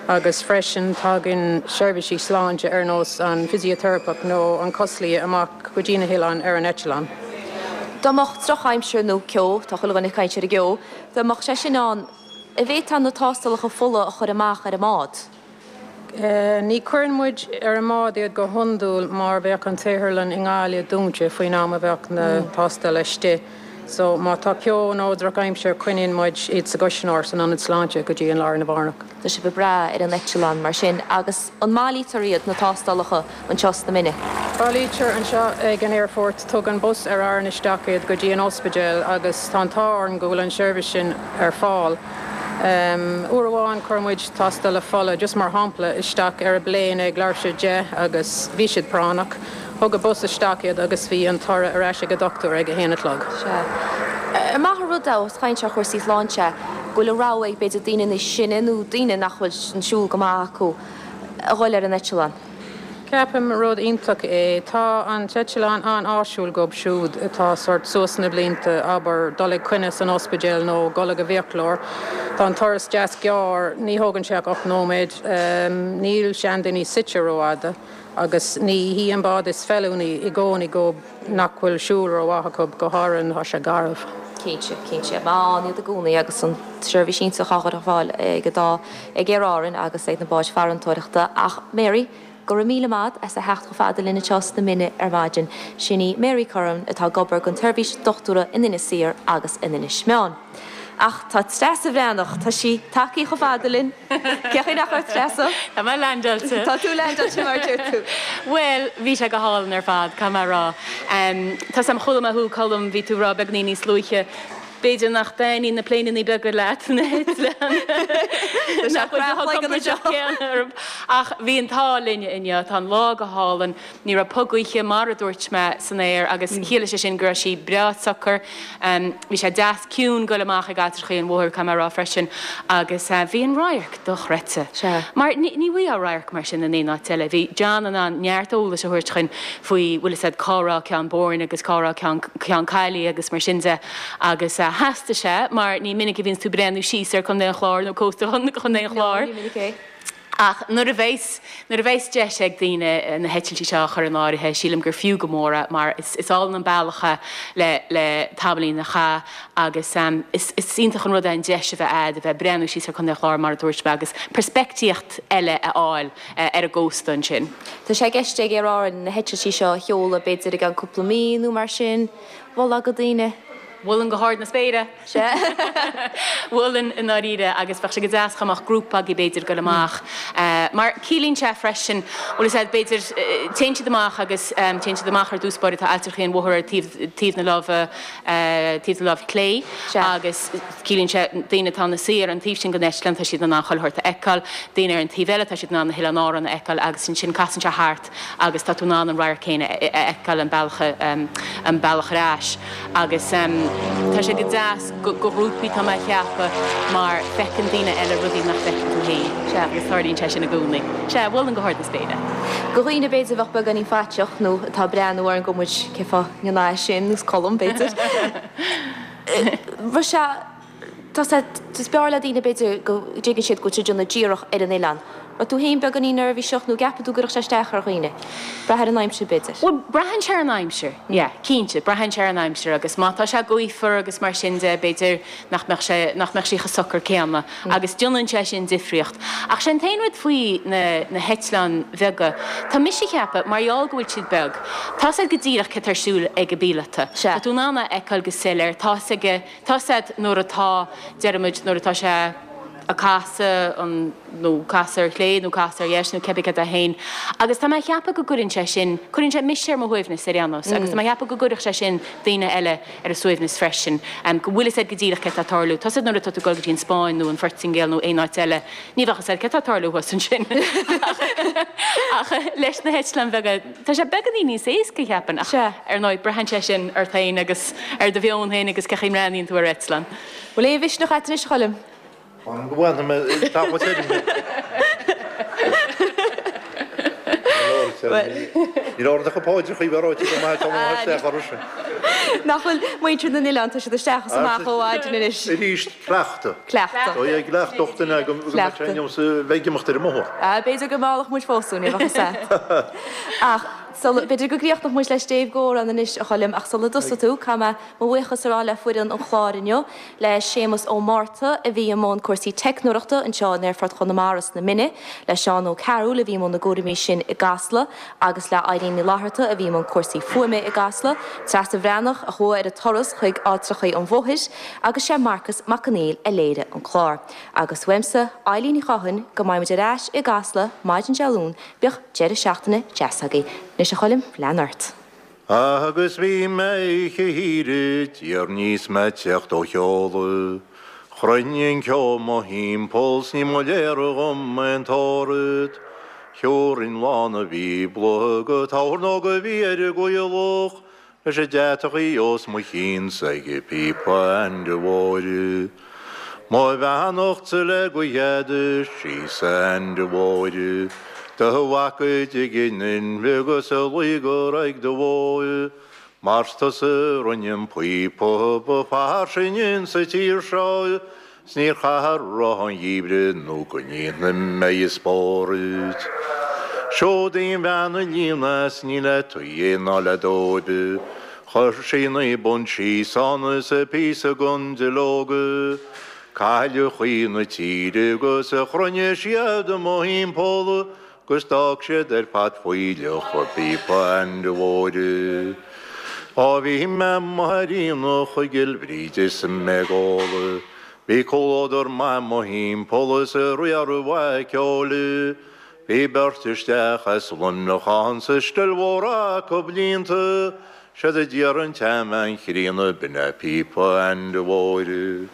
Agus freisin tagann seirbhísí sláinte ar nós an fisiteiripeach nó an coslia amach go dtí na hoileáin ar an eitleán. Dá mbeadh drochaimsir nó ceo, tá chuile dhuine ag caint ar an gceo, dá mbeadh sé sin ann, an bhféadfá na tástálacha fola a chur amach ar an mbád? Ní chuireann muid ar an mbád iad go hiondúil mar bheadh an tsaotharlann i nGaillimh dúnta faoin am a bheadh na tástála istigh. So má tá ceo nó drochaimsir coinníonn muid iad sa gcuisneoir san ionad sláinte go dtí an lá arna mhárach. Tá sibh ag brath ar an eitleán mar sin agus an mbailítear iad, na tástálacha, anseo sna Mine? Bailítear anseo ag an aerfort. Tugann bus Aer Arann isteach iad go dtí an ospidéal agus tá an t-ádh orainn go bhfuil an seirbhís sin ar fáil. Uair amháin chuir muid tástála fola, just mar shampla, isteach ar an bplane ag leathuair tar éis a 10 agus bhí siad práinneach. Thug an bus isteach iad agus bhí an toradh ar ais ag an dochtúir ag a haon a chlog. Sea. Ar maith an rud é, ós caint ar chúrsaí sláinte, go bhfuil an rogha ag b'fhéidir daoine níos sine nó daoine nach bhfuil an siúl go maith acu a dhul ar an eitleán? Ceapaim rud iontach é. Tá an t-eitleán an-áisiúil dhóibh siúd atá sórt suas sna blianta, abair, dul ag coinne san ospidéal nó dul ag an bhfiaclóir. Tá an turas deas gearr, ní thógann sé ach 8 nóiméad. Níl seandaoine suite rófhada agus ní hí an bád is feiliúnaí i gcónaí dhóibh nach bhfuil siúl rómhaith acu, go háirithe nuair atá sé garbh. Cinnte, cinnte. Maith ann iad i gcónaí agus an tseirbhís iontach á chur ar fáil ag an dá, ag Aer Árann agus ag na báid farantóireachta. Ach Mary, go raibh míle maith as a theacht chomh fada linn anseo sna Mine ar maidin. Sin í Mary Curran atá ag obair don tseirbhís dochtúra in Inis Oírr agus in Inis Meáin. Ach tá Treasa Bhreathnach, tá sí tagthaí chomh fada linn. Cén chaoi nach raibh Treasa? Tá mé leaindeáilte. Tá tú leaindeáilte mar a deir tú. Bhuel, bhí sé go hálainn ar fad, caithfidh mé a rá. Tá 's a'm, chuala mé thú, Colm, bhí tú ag rá beagainín níos luaithe, b'fhéidir nach dtaitníonn na pléineanna beaga leat, na heitleáin. Tá sé craiceáilte anseo. Ach bhí an t-ádh linne inniu, tá an lá go hálainn. Ní raibh puth gaoithe, mar a dúirt mé, san aer agus chiallaigh sé sin go raibh sí breá socair. Bhí sé deas ciúin goil amach ag Ailltreachaí an Mhothair, caithfidh mé a rá freisin, agus bhí an radharc dochreidte. Mar ní bhfaighfeá radharc mar sin in aon áit eile. Bhí John in ann neart eolais a thabhairt chuinn faoi, bhfuil fhios a'd, cá raibh Ceann Boirne agus cá raibh Ceann, Ceann Caillí agus mar sin de agus theastaigh sé mar ní minic a bhíonns tú ag breathnú síos ar Chontae an Chláir nó cósta Chontae an Chláir. No, ní minic é. Ach nuair a bheas, nuair a bheas deis ag daoine na heitiltí seo a chur in áirithe, sílim gur fiú go mór é mar is, is álainn an bealach é le, le tamaillín a chaitheamh agus is, is iontach an rud é an deis a bheith a'd a bheith ag breathnú síos ar Chontae an Chláir mar a dúirt mé agus peirspictíocht eile a fháil ar an gcósta ansin. Tá sé i gceist ag Aer Árann na heitiltí seo a sheoladh b'fhéidir i gceann cúpla mí nó mar sin. Mholfá do dhaoine? Mholfainn go hard na spéire! Sea. Mholfainn i ndáiríre agus bheadh sé go deas dá mbeadh grúpa agaibh b'fhéidir goil amach. Mar ciallaíonn sé freisin, bhfuil fhios a'd, b'fhéidir, téann siad amach agus téann siad amach ar dtús báire, tá Ailltreachaí an Mhothair ar taobh, taobh na láimhe, taobh na láimhe clé agus ciallaíonn sé daoine atá ina suí ar an taobh sin den eitleán tá siad in ann chuile shórt a fheiceáil, daoine ar an taobh eile tá siad in ann na hOileáin Árann a fheiceáil agus ansin casann sé thart agus tá tú in ann an radharc céanna a fheiceáil an bealach an bealach ar ais agus tá sé go deas do ghrúpaí tá mé a cheapadh mar feiceann daoine eile rudaí nach bhfeiceann tú féin Sea. agus tarlaíonn sé sin i gcónaí. Sea, mholfainn go hard na spéire. Do dhaoine b'fhéidir a bheadh beagáinín faiteach nó atá ag breathnú orainn go muid cé fáth an é sin nó Colm b'fhéidir. Bheadh sé Tá sé, is b'fhearr le daoine b'fhéidir go dtuigeann siad go bhfuil siad ag déanamh díreach ar an oileán. Raibh tú féin beagáinín neirbhíseach nó gceapann tú go gcuirfeadh sé isteach ar dhaoine? Brath ar an aimsir b'fhéidir. Bhuel, braitheann sé ar an aimsir, yeah, cinnte, braitheann sé ar an aimsir agus má tá sé gaofar agus mar sin de, b'fhéidir nach mbeadh sé, nach mbeadh sí chomh socair céanna agus déanann sé sin difríocht. Ach sé an t-aon rud faoi na, na heitleáin bheaga, tá mise a cheapadh, mar gheall go bhfuil siad beag, tá's a'd go díreach céard tá ar siúl ag an bpíolota. Sea. Tá tú in ann é a fheiceáil go soiléir, tá's aige, Tá's a'd nuair atá, deirimid, nuair atá sé. ag casadh an nó casadh ar chlé nó casadh ar dheis nó cibé cad é féin. Agus tá mé a cheapadh go gcuireann sé sin, cuireann sé mise ar mo shuaimhneas ar aon nós agus tá mé a cheapadh go gcuirfeadh sé sin daoine eile ar a suaimhneas freisin, go bhfuil fhios agat go díreach céard tá ag tarlú. Tá fhios agat nuair atá tú ag dul go dtí an Spáinn nó an Phortaingéil nó aon áit eile, ní bheadh fhios agat céard tá ag tarlú thuas ansin. Ach leis na heitleáin bheaga, tá sé beagáinín níos éasca, cheapfainn, ach ar ndóigh, braitheann sé sin ort féin agus ar do mheon féin agus cén chaoi a mbreathnaíonn tú ar eitleán. Bhfuil aon mhisneach agat anois, a Choilm? Fan go bhfanfaidh mé tamall tirim. Níl ord ach paidreacha a bheith ráite go maith tá mo isteach orthu sin. Nach bhfuil muintir na n-oileán, tá siad isteach is amach ó mhaidin anois. Arís, cleachtadh. Cleachtadh. Tá é ag cleachtadh duine go mbeidh sé inniu sa bheidh ag imeacht ar an mbóthar. B'fhéidir go meallfadh muid fós thú, ní bheadh fhios agat. Ach sula, b'fhéidir go gcríochnódh muid le stéibh dh'amhrán anois, a Choilm, ach sula dtosaí tú, caithfidh mé Mo bhuíochas a rá le foireann an chláir inniu, le Séamus Ó Márta a bhí i mbun cúrsaí teicneoireachta anseo in Aerfort Chonamara sna Mine, le Seán Ó Cearúil a bhí i mbun na gcúraimí sin i gCasla agus le Eileen Ní Fhlatharta a bhí i mbun cúrsaí fuaime i gCasla, Treasa Bhreathnach a chuaigh ar an turas chuig Alltrachaí an Mhothair agus sé Marcas Mac Conghail a léirigh an clár. Agus uaimse, Eilín Ní Chatháin, go mbeidh muid ar ais i gCasla maidin Dé Luain, bíodh deireadh seachtaine deas agaibh. Anois a Choilm, lean ort. Agus bhí mé oíche thiar i dtír 'níos mé ag teacht ó sheoladh. Chruinnigh an ceo mo thimpeall 's ní mba léir dhom aon toradh. Thiúrfainn lán an Bhíobla go tábhairneog a bhí ar an gcoillidh leis an deatachaí os mo chionn 's ag píopa Ainde Mhóir. Mo bheannachtsa le go gheadais síos a Ainde Mhóir, Do mhac a dtig in inmhe 'gus a luí go raigh do bhó, Mar 's tusa a rinne an píopa ba fairsinge insa tír seo, 'S níor chaith a roth an gheimhridh nó go ndéanfaidh mé an spórt. Seod í an bhean a líon as ní le tuí ná le dóib. Chuir sí na punt síos ann is a píosa gon duilleog. Cailleach í na tíre 'gus a chruinnigh siad i mo thimpeall 'gus d'fhág siad ar fad fuílleach a píopa Ainde Mhóir. Á bhí mé amuigh ar aonach i gCill Bhríde is mé ag ól. Bhí comhluadar maith mo thimpeall is a riaradh mhaith ceoil. Bhí beirt isteach as Luimneach ann 's an still mhór acu líonta, 'Séard a d'iarr an tseanbhean chríonna, b'in é píopa Ainde Mhóir.